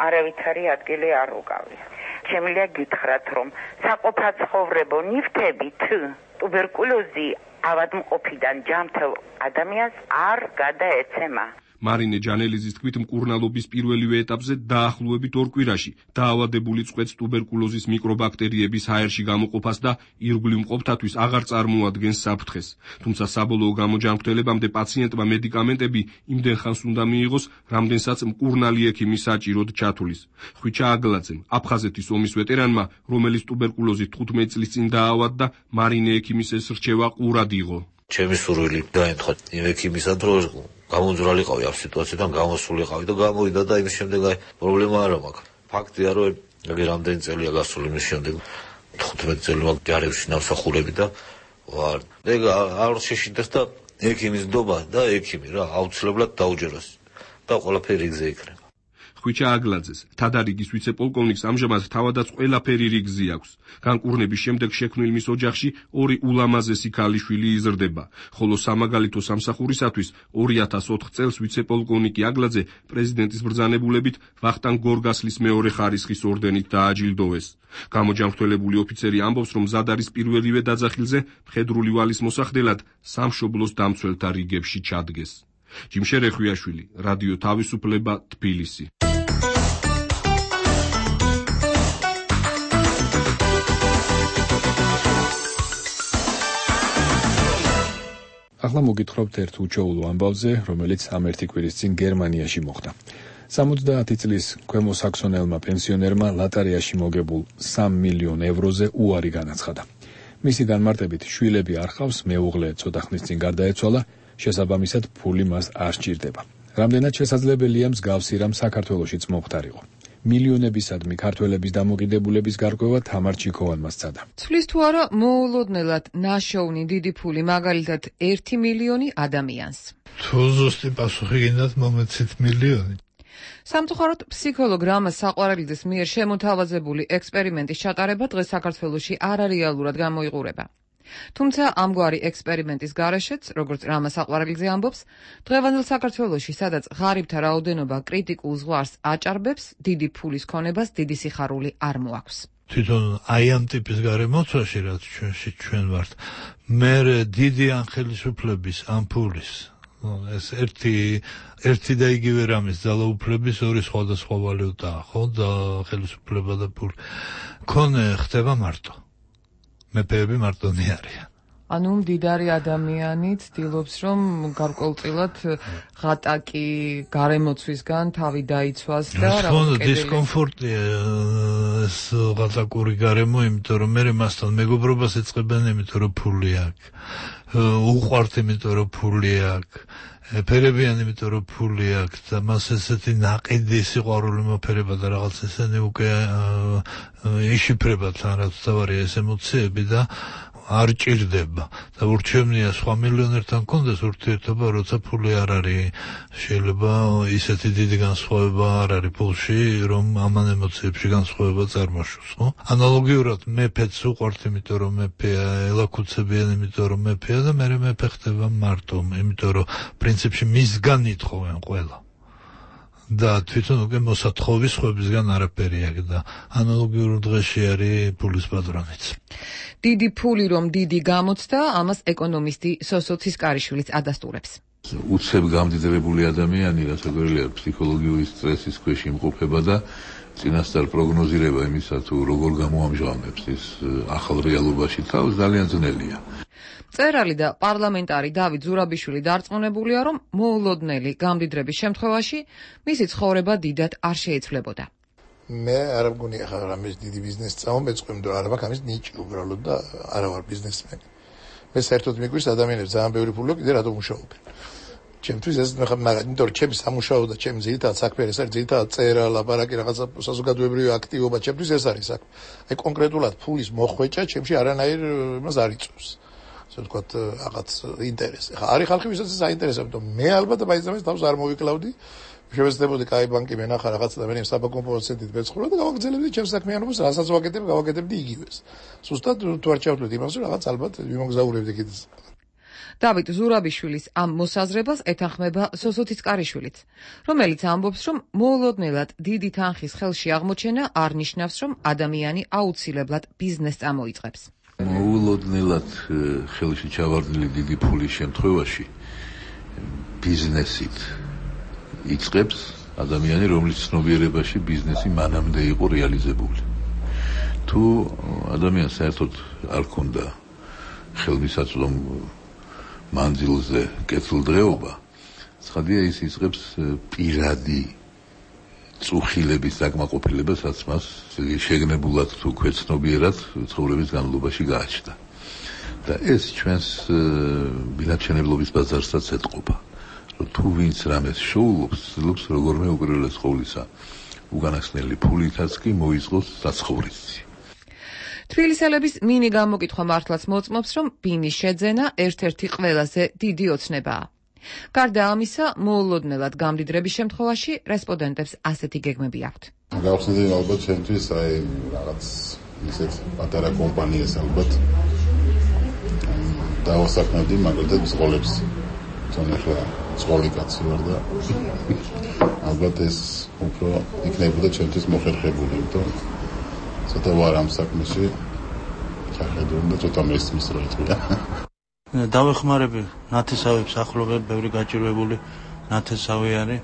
არავითარი ადგილი არ უკავია. შემიძლია გითხრათ, რომ საყოფაცხოვრებო ნივთებით ტუბერკულოზი ავადმყოფიდან ჯანმრთელ ადამიანს არ გადაეცემა. მარინე ჯანელიზის თქმით, მკურნალობის პირველივე ეტაპზე დაახლოებით 2 კვირაში დაავადებული წყვეტს ტუბერკულოზის მიკრობაქტერიების ჰაერში გამოყოფას და ირგვლივ მყოფთათვის აღარ წარმოადგენს საფრთხეს. თუმცა საბოლოო გამოჯანმრთელებამდე პაციენტმა მედიკამენტები იმდენ ხანს უნდა მიიღოს, რამდენსაც მკურნალი ექიმი საჭიროდ ჩათვლის. ხვიჩა აგლაძემ, აფხაზეთის ომის ვეტერანმა, რომელიც ტუბერკულოზით 15 წლის წინ დაავადდა, მარინე ექიმის ეს რჩევა ყურად იღო. ჩემი სურვილი დაემთხვა იმ ექიმისად, რომ გამომძვრალიყავი ამ სიტუაციიდან, გამოსულიყავი და გამოვიდა და იმის შემდეგ პრობლემა არ მაქვს. ფაქტია, რომ ეგ რამდენი წელია გასული იმის შემდეგ 15 წელი მაქვს ჯარებში ნავსახურები და ვარ. ეგ არ შეშინდეს და ექიმის ნდობა და ექიმი რა აუცილებლად დაუჯეროს და ყველაფერი იგზე იქნება. ხვიჩა აგლაძეს, თადარიგის ვიცე-პოლკოვნიკს ამჟამად თავადაც ყველაფერი რიგზე აქვს. განკურნების შემდეგ შექმნილ მის ოჯახში 2 ულამაზესი ქალიშვილი იზრდება, ხოლო სამაგალითო სამსახურისათვის 2004 წელს ვიცე-პოლკოვნიკი აგლაძე პრეზიდენტის ბრძანებულებით ვახტანგ გორგასლის მეორე ხარისხის ორდენით დააჯილდოვეს. გამოჯანმრთელებული ოფიცერი ამბობს, რომ მზად არის პირველივე დაძახილზე მხედრული ვალის მოსახდელად სამშობლოს დამცველთა რიგებში ჩადგეს. ჯიმშერ ეხვიაშვილი, რადიო თავისუფლება, თბილისი. ახლა მოგითხრობთ ერთ უჩვეულო ამბავზე, რომელიც ამ 1 კვირის წინ გერმანიაში მოხდა. 70 წლის ქვემო საქსონელმა პენსიონერმა ლატარიაში მოგებულ 3 მილიონ ევროზე უარი განაცხადა. მისი განმარტებით, შვილები არ ჰყავს, მეუღლე ცოტა ხნის წინ გარდაეცვალა, შესაბამისად ფული მას არ სჭირდება. რამდენად შესაძლებელია მსგავსი რამ საქართველოშიც მომხდარიყო. მილიონებისადმი ქართველების დამოკიდებულების გარკვევა თამარ ჩიქოვანმა სცადა. ცვლის თუ არა მოულოდნელად ნაშოვნი დიდი ფული, მაგალითად 1 მილიონი ადამიანს. თუ ზუსტი პასუხი გინდათ, მომეცით მილიონი. სამწუხაროდ, ფსიქოლოგ რამაზ საყვარელიძის მიერ შემოთავაზებული ექსპერიმენტის ჩატარება დღეს საქართველოში არარეალურად გამოიყურება. თუმცა ამგვარი ექსპერიმენტის გარეშეც, როგორც რამაზ საყვარელიძე ამბობს, დღევანდელ საქართველოში, სადაც ღარიბთა რაოდენობა კრიტიკულ ზღვარს აჭარბებს, დიდი ფულის ქონებას დიდი სიხარული არ მოაქვს. თვითონ აი ამ ტიპის გარემოცვაში, რაც ჩვენ ვართ, მე დიდი ანხელისუფლების ამ ფულის ეს ერთი და იგივე რამის ძალაუფლების 2 სხვადასხვა ვალუტაა, ხო? და ხელისუფლება და ფული. ქონე ხდება მარტო. მეფეები მარტონი არიან. ანუ მდიდარი ადამიანი ცდილობს, რომ გარკვეულწილად ღატაკი გარემოცვისგან თავი დაიცვას და რაღაცა დისკომფორტია ეს ღატაკური გარემო, იმიტომ რომ მე მასთან მეგობრობას ეწყებენ, იმიტომ რომ ფული აქვს. უყვართ, იმიტომ რომ ფული აქვს. ეფერებიან, იმიტომ რომ ფული აქვს და მას ესეთი ნაყიდი სიყვარული მოფერება და რაღაც ესენი უკვე იშიფრება თან, რაც თავარია ეს ემოციები და არ ჭირდება და ურჩევნია სხვა მილიონერთან კონდეს ურთიერთობა, როცა ფული არ არის. შეიძლება ისეთი დიდი განსხვავება არ არის ფულში, რომ ამან ემოციებში განსხვავება წარმოშოს, ხო? ანალოგიურად მეფეც უყვართ, იმიტომ რომ მეფეა, ელაქუცებიან, იმიტომ რომ მეფეა და მერე მეფე ხდება მარტო, იმიტომ რომ პრინციპში მისგან ითხოვენ ყველა. და თვითონ უკვე მოსათხოვის ხვებისგან არაფერი აქ და ანალოგიურ დღეში არის ფულის პატრონიც. დიდი ფული რომ დიდი გამოცდა, ამას ეკონომისტი სოსო ცისკარიშვილიც ადასტურებს. უცებ გამდიდრებული ადამიანი, რასაკვირველია, ფსიქოლოგიური სტრესის ქვეშ იმყოფება და წინასწარ პროგნოზირება იმისა, თუ როგორ გამოამჟღავნებს ის ახალ რეალობაში თავს, ძალიან ძნელია. წერალი და პარლამენტარი დავით ზურაბიშვილი დარწმუნებულია, რომ მოულოდნელი გამდიდრების შემთხვევაში მისი ცხოვრება დიდად არ შეიცვლებოდა. მე არ მგონია ხარ ამის დიდი ბიზნესი წამომეწყვი, მაგრამ არ მაქვს ამის ნიჭი უბრალოდ და არა ვარ ბიზნესმენი. მე საერთოდ მიგვირს ადამიანებს ძალიან ბევრი ფული კიდე რატომ მუშაობენ. ჩემთვის ეს მაგრამ იმიტომ რომ ჩემი სამუშაო და ჩემი ძირითადად საქმე ეს არის ძირითადად წერა, ლაპარაკი, რაღაცა საზოგადოებრივი აქტივობა, ჩემთვის ეს არის საქმე. აი კონკრეტულად ფულის მოხვეჭა ჩემში არანაირ იმას არ იწვევს. ასე ვთქვათ, რაღაც ინტერესი. ხა არის ხალხი, ვისაც ეს აინტერესებდა. მე ალბათ მაინც თავს არ მოვიკლავდი. შევეცდებოდი კაი ბანკი მენახა რაღაცა და მე საბაგო პროცენტით მეცხოვრო და გავაგრძელებდი ჩემს საქმიანობას, რასაც გავაკეთებდი იგივეს. სუსტად თუ არ ჩავთვლით იმას, რომ რაღაც ალბათ ვიმოგზაურებდი კიდეც. დავით ზურაბიშვილის ამ მოსაზრებას ეთანხმება სოსო ცისკარიშვილიც, რომელიც ამბობს, რომ მოულოდნელად დიდი თანხის ხელში აღმოჩენა არ ნიშნავს, რომ ადამიანი აუცილებლად ბიზნესს წამოიწყებს. მოულოდნელად ხელში ჩავარდნილი დიდი ფულის შემთხვევაში ბიზნესით იწყებს ადამიანი, რომლის ცნობიერებაში ბიზნესი მანამდე იყო რეალიზებული. თუ ადამიანს საერთოდ არ ქონდა ხელმისაწვდომ მანძილზე კეთილდღეობა, ცხადია ის იწყებს პირადი წუხილების დაკმაყოფილებას მას შეგნებულად თუ ქვეცნობიერად ცხოვრების განმავლობაში გააჩნდა. და ეს ჩვენს ბინადრჩენებლობის ბაზარსაც ეტყობა. რომ თუ ვინც რამეს შოულობს, ცდილობს როგორმე უპირველეს ყოვლისა უგანახსნელი ფულითაც კი მოიწყოს საცხოვრისი. თბილისელების მინი გამოკითხვა მართლაც მოწმობს, რომ ბინის შეძენა ერთ-ერთი ყველაზე დიდი ოცნებაა. გარდა ამისა, მოულოდნელად გამდიდრების შემთხვევაში რესპონდენტებს ასეთი გეგმები აქვთ. გავხსნიდი ალბათ ჩემთვის აი რაღაც ისეთ პატარა კომპანიას ალბათ დავასაქმებდი მაგალითად სკოლებს. თუნდაც სკოლი კაცი ვარ და ალბათ ეს უფრო იქნებოდა ჩემთვის მოხერხებული, იმიტომ ცოტა ვარ ამ საქმეში ჩახედული და ცოტა მესმის რა იტყვია. დავეხმარები ნათესავებს, ახლობლად ბევრი გაჭირვებული ნათესავი არის.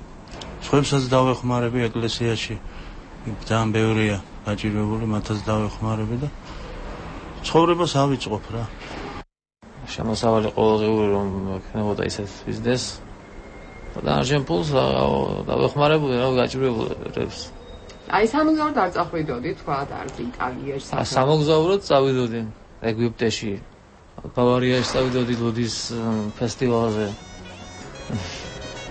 სხვებსაც დავეხმარები ეკლესიაში, ძალიან ბევრია გაჭირვებული, მათაც დავეხმარები და ცხოვრებას ავიწყობ რა. შემოსავალი ყოველდღიური რომ ექნებოდა ისეთ ბიზნესს და არჩენ ფულს დავეხმარებული რა გაჭირვებულებს. აი სამოგზაუროდ არ წახვიდოდი, თქვა არც იტალიაში. სამოგზაუროდ წავიდოდი ეგვიპტეში. ბავარიაში წავიდოდი ლუდის ფესტივალზე.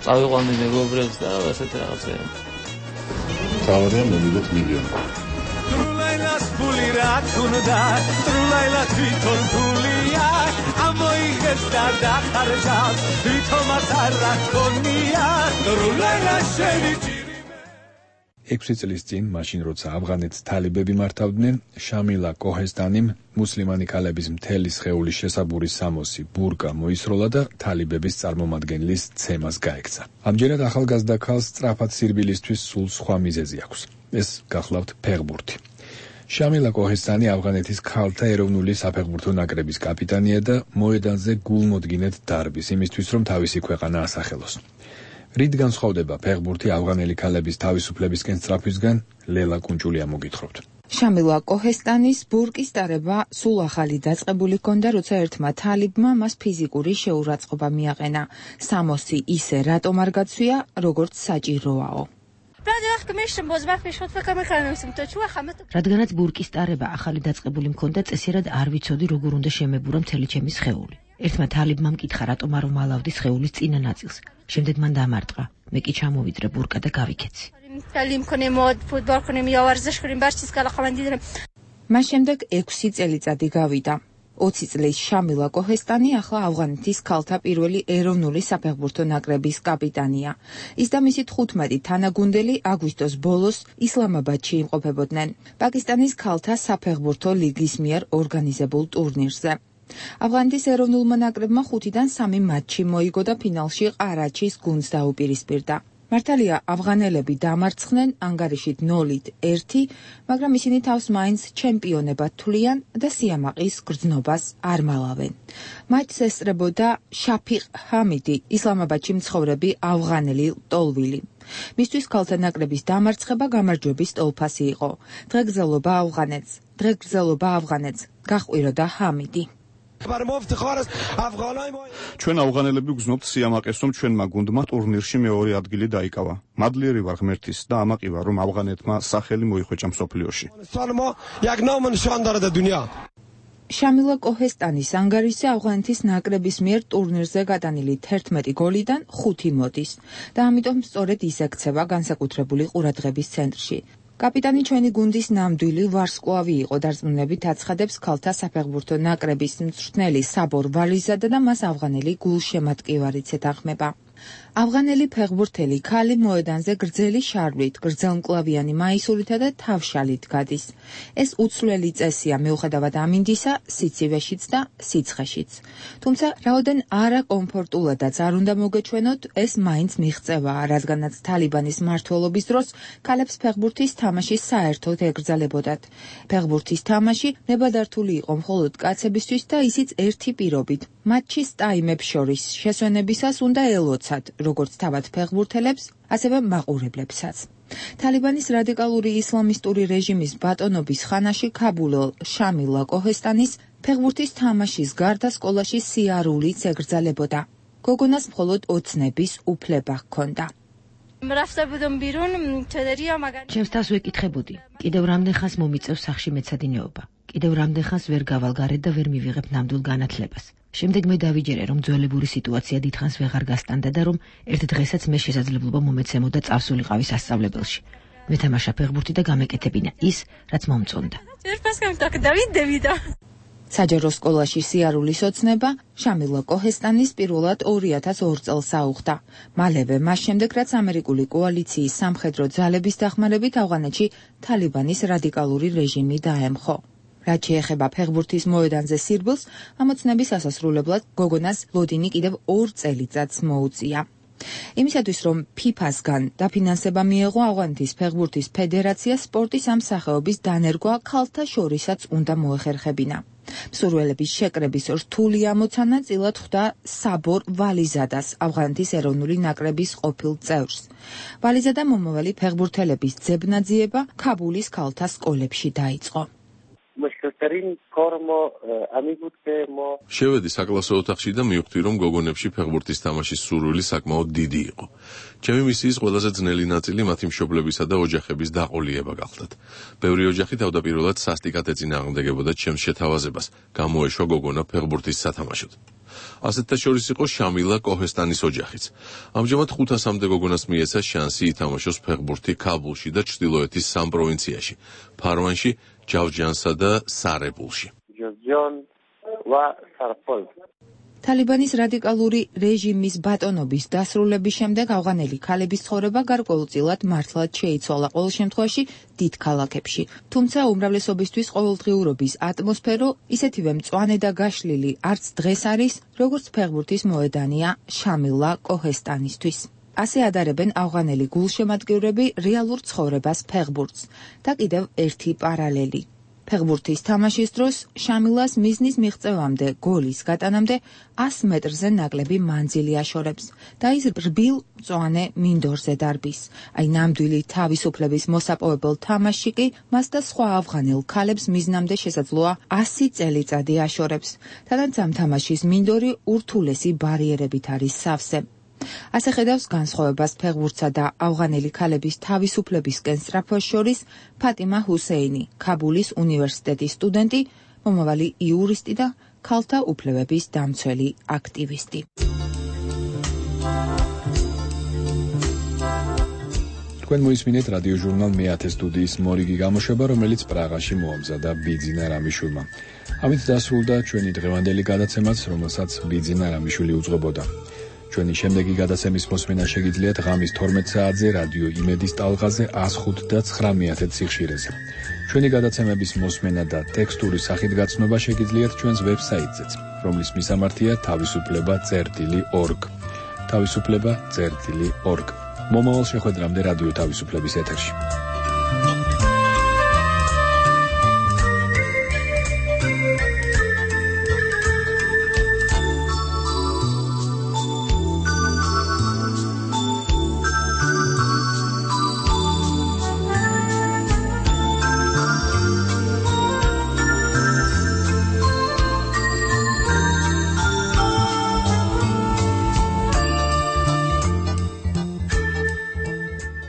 წავიყვანდი მეგობრებს და ასეთ რაღაცები. თავარია მოვიდეთ მილიონი. ტრულაილას ფული რა თუნდა, ტრულაილა თვითონ ფულია, ამოიღეს და დახარჯავს, თვითონაც არ რაქონია, ტრულაილა შევიჭი 6 წლის წინ, მაშინ როცა ავღანეთს თალიბები მართავდნენ, შამილა კოჰესტანიმ მუსლიმანი ქალების მთელი სხეულის შესაბურის სამოსი ბურკა მოისროლა და თალიბების წარმომადგენლის ცემას გაექცა. ამჯერად ახალგაზრდა ქალს სწრაფად სირბილისთვის სულ სხვა მიზეზი აქვს. ეს გახლავთ ფეხბურთი. შამილა კოჰესტანი ავღანეთის ქალთა ეროვნული საფეხბურთო ნაკრების კაპიტანია და მოედანზე გულმოდგინედ დარბის იმისთვის, რომ თავისი ქვეყანა ასახელოს. რით განსხვავდება ფეხბურთი ავღანელი ქალების თავისუფლებისკენ სწრაფვისგან? ლელა კუნჭულია მოგითხრობთ. შამილა კოჰესტანის ბურკის დარება სულ ახალი დაწყებული ჰქონდა, როცა ერთმა თალიბმა მას ფიზიკური შეურაცხყოფა მიაყენა. სამოსი ისე რატომ არ გაცვია, როგორც საჭიროაო. რადგანაც ბურკის ტარება ახალი დაწყებული მქონდა, წესიერად არ ვიცოდი როგორ უნდა შემებურა მთელი ჩემი სხეული. ერთმა თალიბმა მკითხა, რატომ არ მომალავდი სხეულის წინა ნაწილს. შემდეგ მან დამარტყა, მე კი ჩამოვიდრე ბურკა და გავიქეცი. მას შემდეგ 6 წელიწადი გავიდა. 20 წლის შამილა კოჰესტანი ახლა ავღანეთის ქალთა პირველი ეროვნული საფეხბურთო ნაკრების კაპიტანია. ის და მისი 15 თანაგუნდელი აგვისტოს ბოლოს ისლამაბადში იმყოფებოდნენ პაკისტანის ქალთა საფეხბურთო ლიგის მიერ ორგანიზებულ ტურნირზე. ავღანეთის ეროვნულმა ნაკრებმა 5-დან 3 მატჩი მოიგო და ფინალში ყარაჩის გუნდს დაუპირისპირდა. მართალია ავღანელები დამარცხდნენ ანგარიშით 0-1, მაგრამ ისინი თავს მაინც ჩემპიონებად თვლიან და სიამაყის გრძნობას არ მალავენ. მატჩს ესწრებოდა შაფიყ ჰამიდი, ისლამაბადში მცხოვრები ავღანელი ლტოლვილი. მისთვის ქალთა ნაკრების დამარცხება გამარჯვების ტოლფასი იყო. დღეგრძელობა ავღანეთს, გაჰყვიროდა ჰამიდი. ჩვენ ავღანელები გრძნობთ სიამაყეს, რომ ჩვენმა გუნდმა ტურნირში მეორე ადგილი დაიკავა. მადლიერი ვარ ღმერთის და ამაყი ვარ, რომ ავღანეთმა სახელი მოიხვეჭა მსოფლიოში. შამილა კოჰესტანის ანგარიშზე ავღანეთის ნაკრების მიერ ტურნირზე გატანილი 11 გოლიდან 5 მოდის და ამიტომ სწორედ ის ექცევა განსაკუთრებული ყურადღების ცენტრში. კაპიტანი ჩვენი გუნდის ნამდვილი ვარსკვლავი იყო, დარწმუნებით აცხადებს ქალთა საფეხბურთო ნაკრების მწვრთნელი საბორ ვალიზადა და მას ავღანელი გულშემატკივარიც ეთანხმება. ავღანელი ფეხბურთელი ქალი მოედანზე გრძელი შარვით, გრძელმკლავიანი მაისურითა და თავშალით გადის. ეს უცვლელი წესია მიუხედავად ამინდისა, სიცივეშიც და სიცხეშიც. თუმცა რაოდენ არაკომფორტულადაც არ უნდა მოგეჩვენოთ, ეს მაინც მიღწევაა, რადგანაც თალიბანის მმართველობის დროს ქალებს ფეხბურთის თამაში საერთოდ ეკრძალებოდათ. ფეხბურთის თამაში ნებადართული იყო მხოლოდ კაცებისთვის და ისიც ერთი პირობით. მატჩის ტაიმებს შორის შესვენებისას უნდა ელოცათ, როგორც თავად ფეხბურთელებს, ასევე მაყურებლებსაც. თალიბანის რადიკალური ისლამისტური რეჟიმის ბატონობის ხანაში ქაბულელ შამილა კოჰესტანის ფეხბურთის თამაშის გარდა სკოლაში სიარულიც ეკრძალებოდა. გოგონას მხოლოდ ოცნების უფლება ჰქონდა. ჩემს თავს ვეკითხებოდი, კიდევ რამდენხანს მომიწევს სახში მეცადინეობა. კიდევ რამდენხანს ვერ გავალ გარეთ და ვერ მივიღებ ნამდვილ განათლებას. შემდეგ მე დავიჯერე, რომ ძველებური სიტუაცია დიდხანს ვეღარ გასტანდა და რომ ერთ დღესაც მე შესაძლებლობა მომეცემოდა წავსულიყავი სასწავლებელში. მეთამაშა ფეხბურთი და გამეკეთებინა ის, რაც მომწონდა. საჯარო სკოლაში სიარულის ოცნება შამილა კოჰესტანის პირველად 2002 წელს აუხდა. მალევე მას შემდეგ, რაც ამერიკული კოალიციის სამხედრო ძალების დახმარებით ავღანეთში თალიბანის რადიკალური რეჟიმი დაემხო. რაც შეეხება ფეხბურთის მოედანზე სირბილს, ამოცნების ასასრულებლად გოგონას ლოდინი კიდევ 2 წელიწადს მოუწია. იმისათვის, რომ ფიფას-გან დაფინანსება მიეღო ავღანეთის ფეხბურთის ფედერაცია, სპორტის ამ სახეობის დანერგვა ქალთა შორისაც უნდა მოეხერხებინა. მსურველების შეკრების რთული ამოცანა წილად ხვდა საბორ ვალიზადას, ავღანეთის ეროვნული ნაკრების ყოფილ წევრს. ვალიზადა მომავალი ფეხბურთელების ძებნაძიება ქაბულის ქალთა სკოლებში დაიწყო. შევედი საკლასო ოთახში და მივხვდი, რომ გოგონებში ფეხბურთის თამაშის სურვილი საკმაოდ დიდი იყო. ჩემი მისიის ყველაზე ძნელი ნაწილი მათი მშობლებისა და ოჯახების დაყოლიება გახლდათ. ბევრი ოჯახი თავდაპირველად სასტიკად ეწინააღმდეგებოდა ჩემს შეთავაზებას, გამოეშვა გოგონა ფეხბურთის სათამაშოდ. ასეთთა შორის იყო შამილა კოჰესტანის ოჯახიც. ამჟამად 500-მდე გოგონას მიეცა შანსი ითამაშოს ფეხბურთი ქაბულში და ჩრდილოეთის 3 პროვინციაში, ფარვანში, ჯავჯანსა და სარებულში. თალიბანის რადიკალური რეჟიმის ბატონობის დასრულების შემდეგ ავღანელი ქალების ცხოვრება გარკვეულწილად მართლაც შეიცვალა, ყოველ შემთხვევაში დიდ ქალაქებში. თუმცა უმრავლესობისთვის ყოველდღიურობის ატმოსფერო ისეთივე მწვანე და გაშლილი არც დღეს არის, როგორც ფეხბურთის მოედანია შამილა კოჰესტანისთვის. ასე ადარებენ ავღანელი გულშემატკივრები რეალურ ცხოვრებას ფეხბურთს. და კიდევ ერთი პარალელი. ფეხბურთის თამაშის დროს შამილას მიზნის მიღწევამდე, გოლის გატანამდე 100 მეტრზე ნაკლები მანძილი აშორებს და ის რბილ მწვანე მინდორზე დარბის. აი ნამდვილი თავისუფლების მოსაპოვებელ თამაში კი მას და სხვა ავღანელ ქალებს მიზნამდე შესაძლოა 100 წელიწადი აშორებს. თანდაც ამ თამაშის მინდორი ურთულესი ბარიერებით არის სავსე. ასე ხედავს განსხვავებას ფეხბურთსა და ავღანელი ქალების თავისუფლებისკენ სწრაფვას შორის ფატიმა ჰუსეინი, ქაბულის უნივერსიტეტის სტუდენტი, მომავალი იურისტი და ქალთა უფლებების დამცველი აქტივისტი. თქვენ მოისმინეთ რადიოჟურნალ მე-10 სტუდიის მორიგი გამოშვება, რომელიც პრაღაში მოამზადა ბიძინა რამიშვილმა. ამით დასრულდა ჩვენი დღევანდელი გადაცემაც, რომელსაც ბიძინა რამიშვილი უძღვებოდა. ჩვენი შემდეგი გადაცემის მოსმენა შეგიძლიათ ღამის 12 საათზე რადიო იმედის ტალღაზე 105 და 910 სიხშირეზე. ჩვენი გადაცემების მოსმენა და ტექსტური სახით გაცნობა შეგიძლიათ ჩვენს ვებსაიტზეც, რომლის მისამართია თავისუფლება.org. თავისუფლება.org. მომავალ შეხვედრამდე რადიო თავისუფლების ეთერში.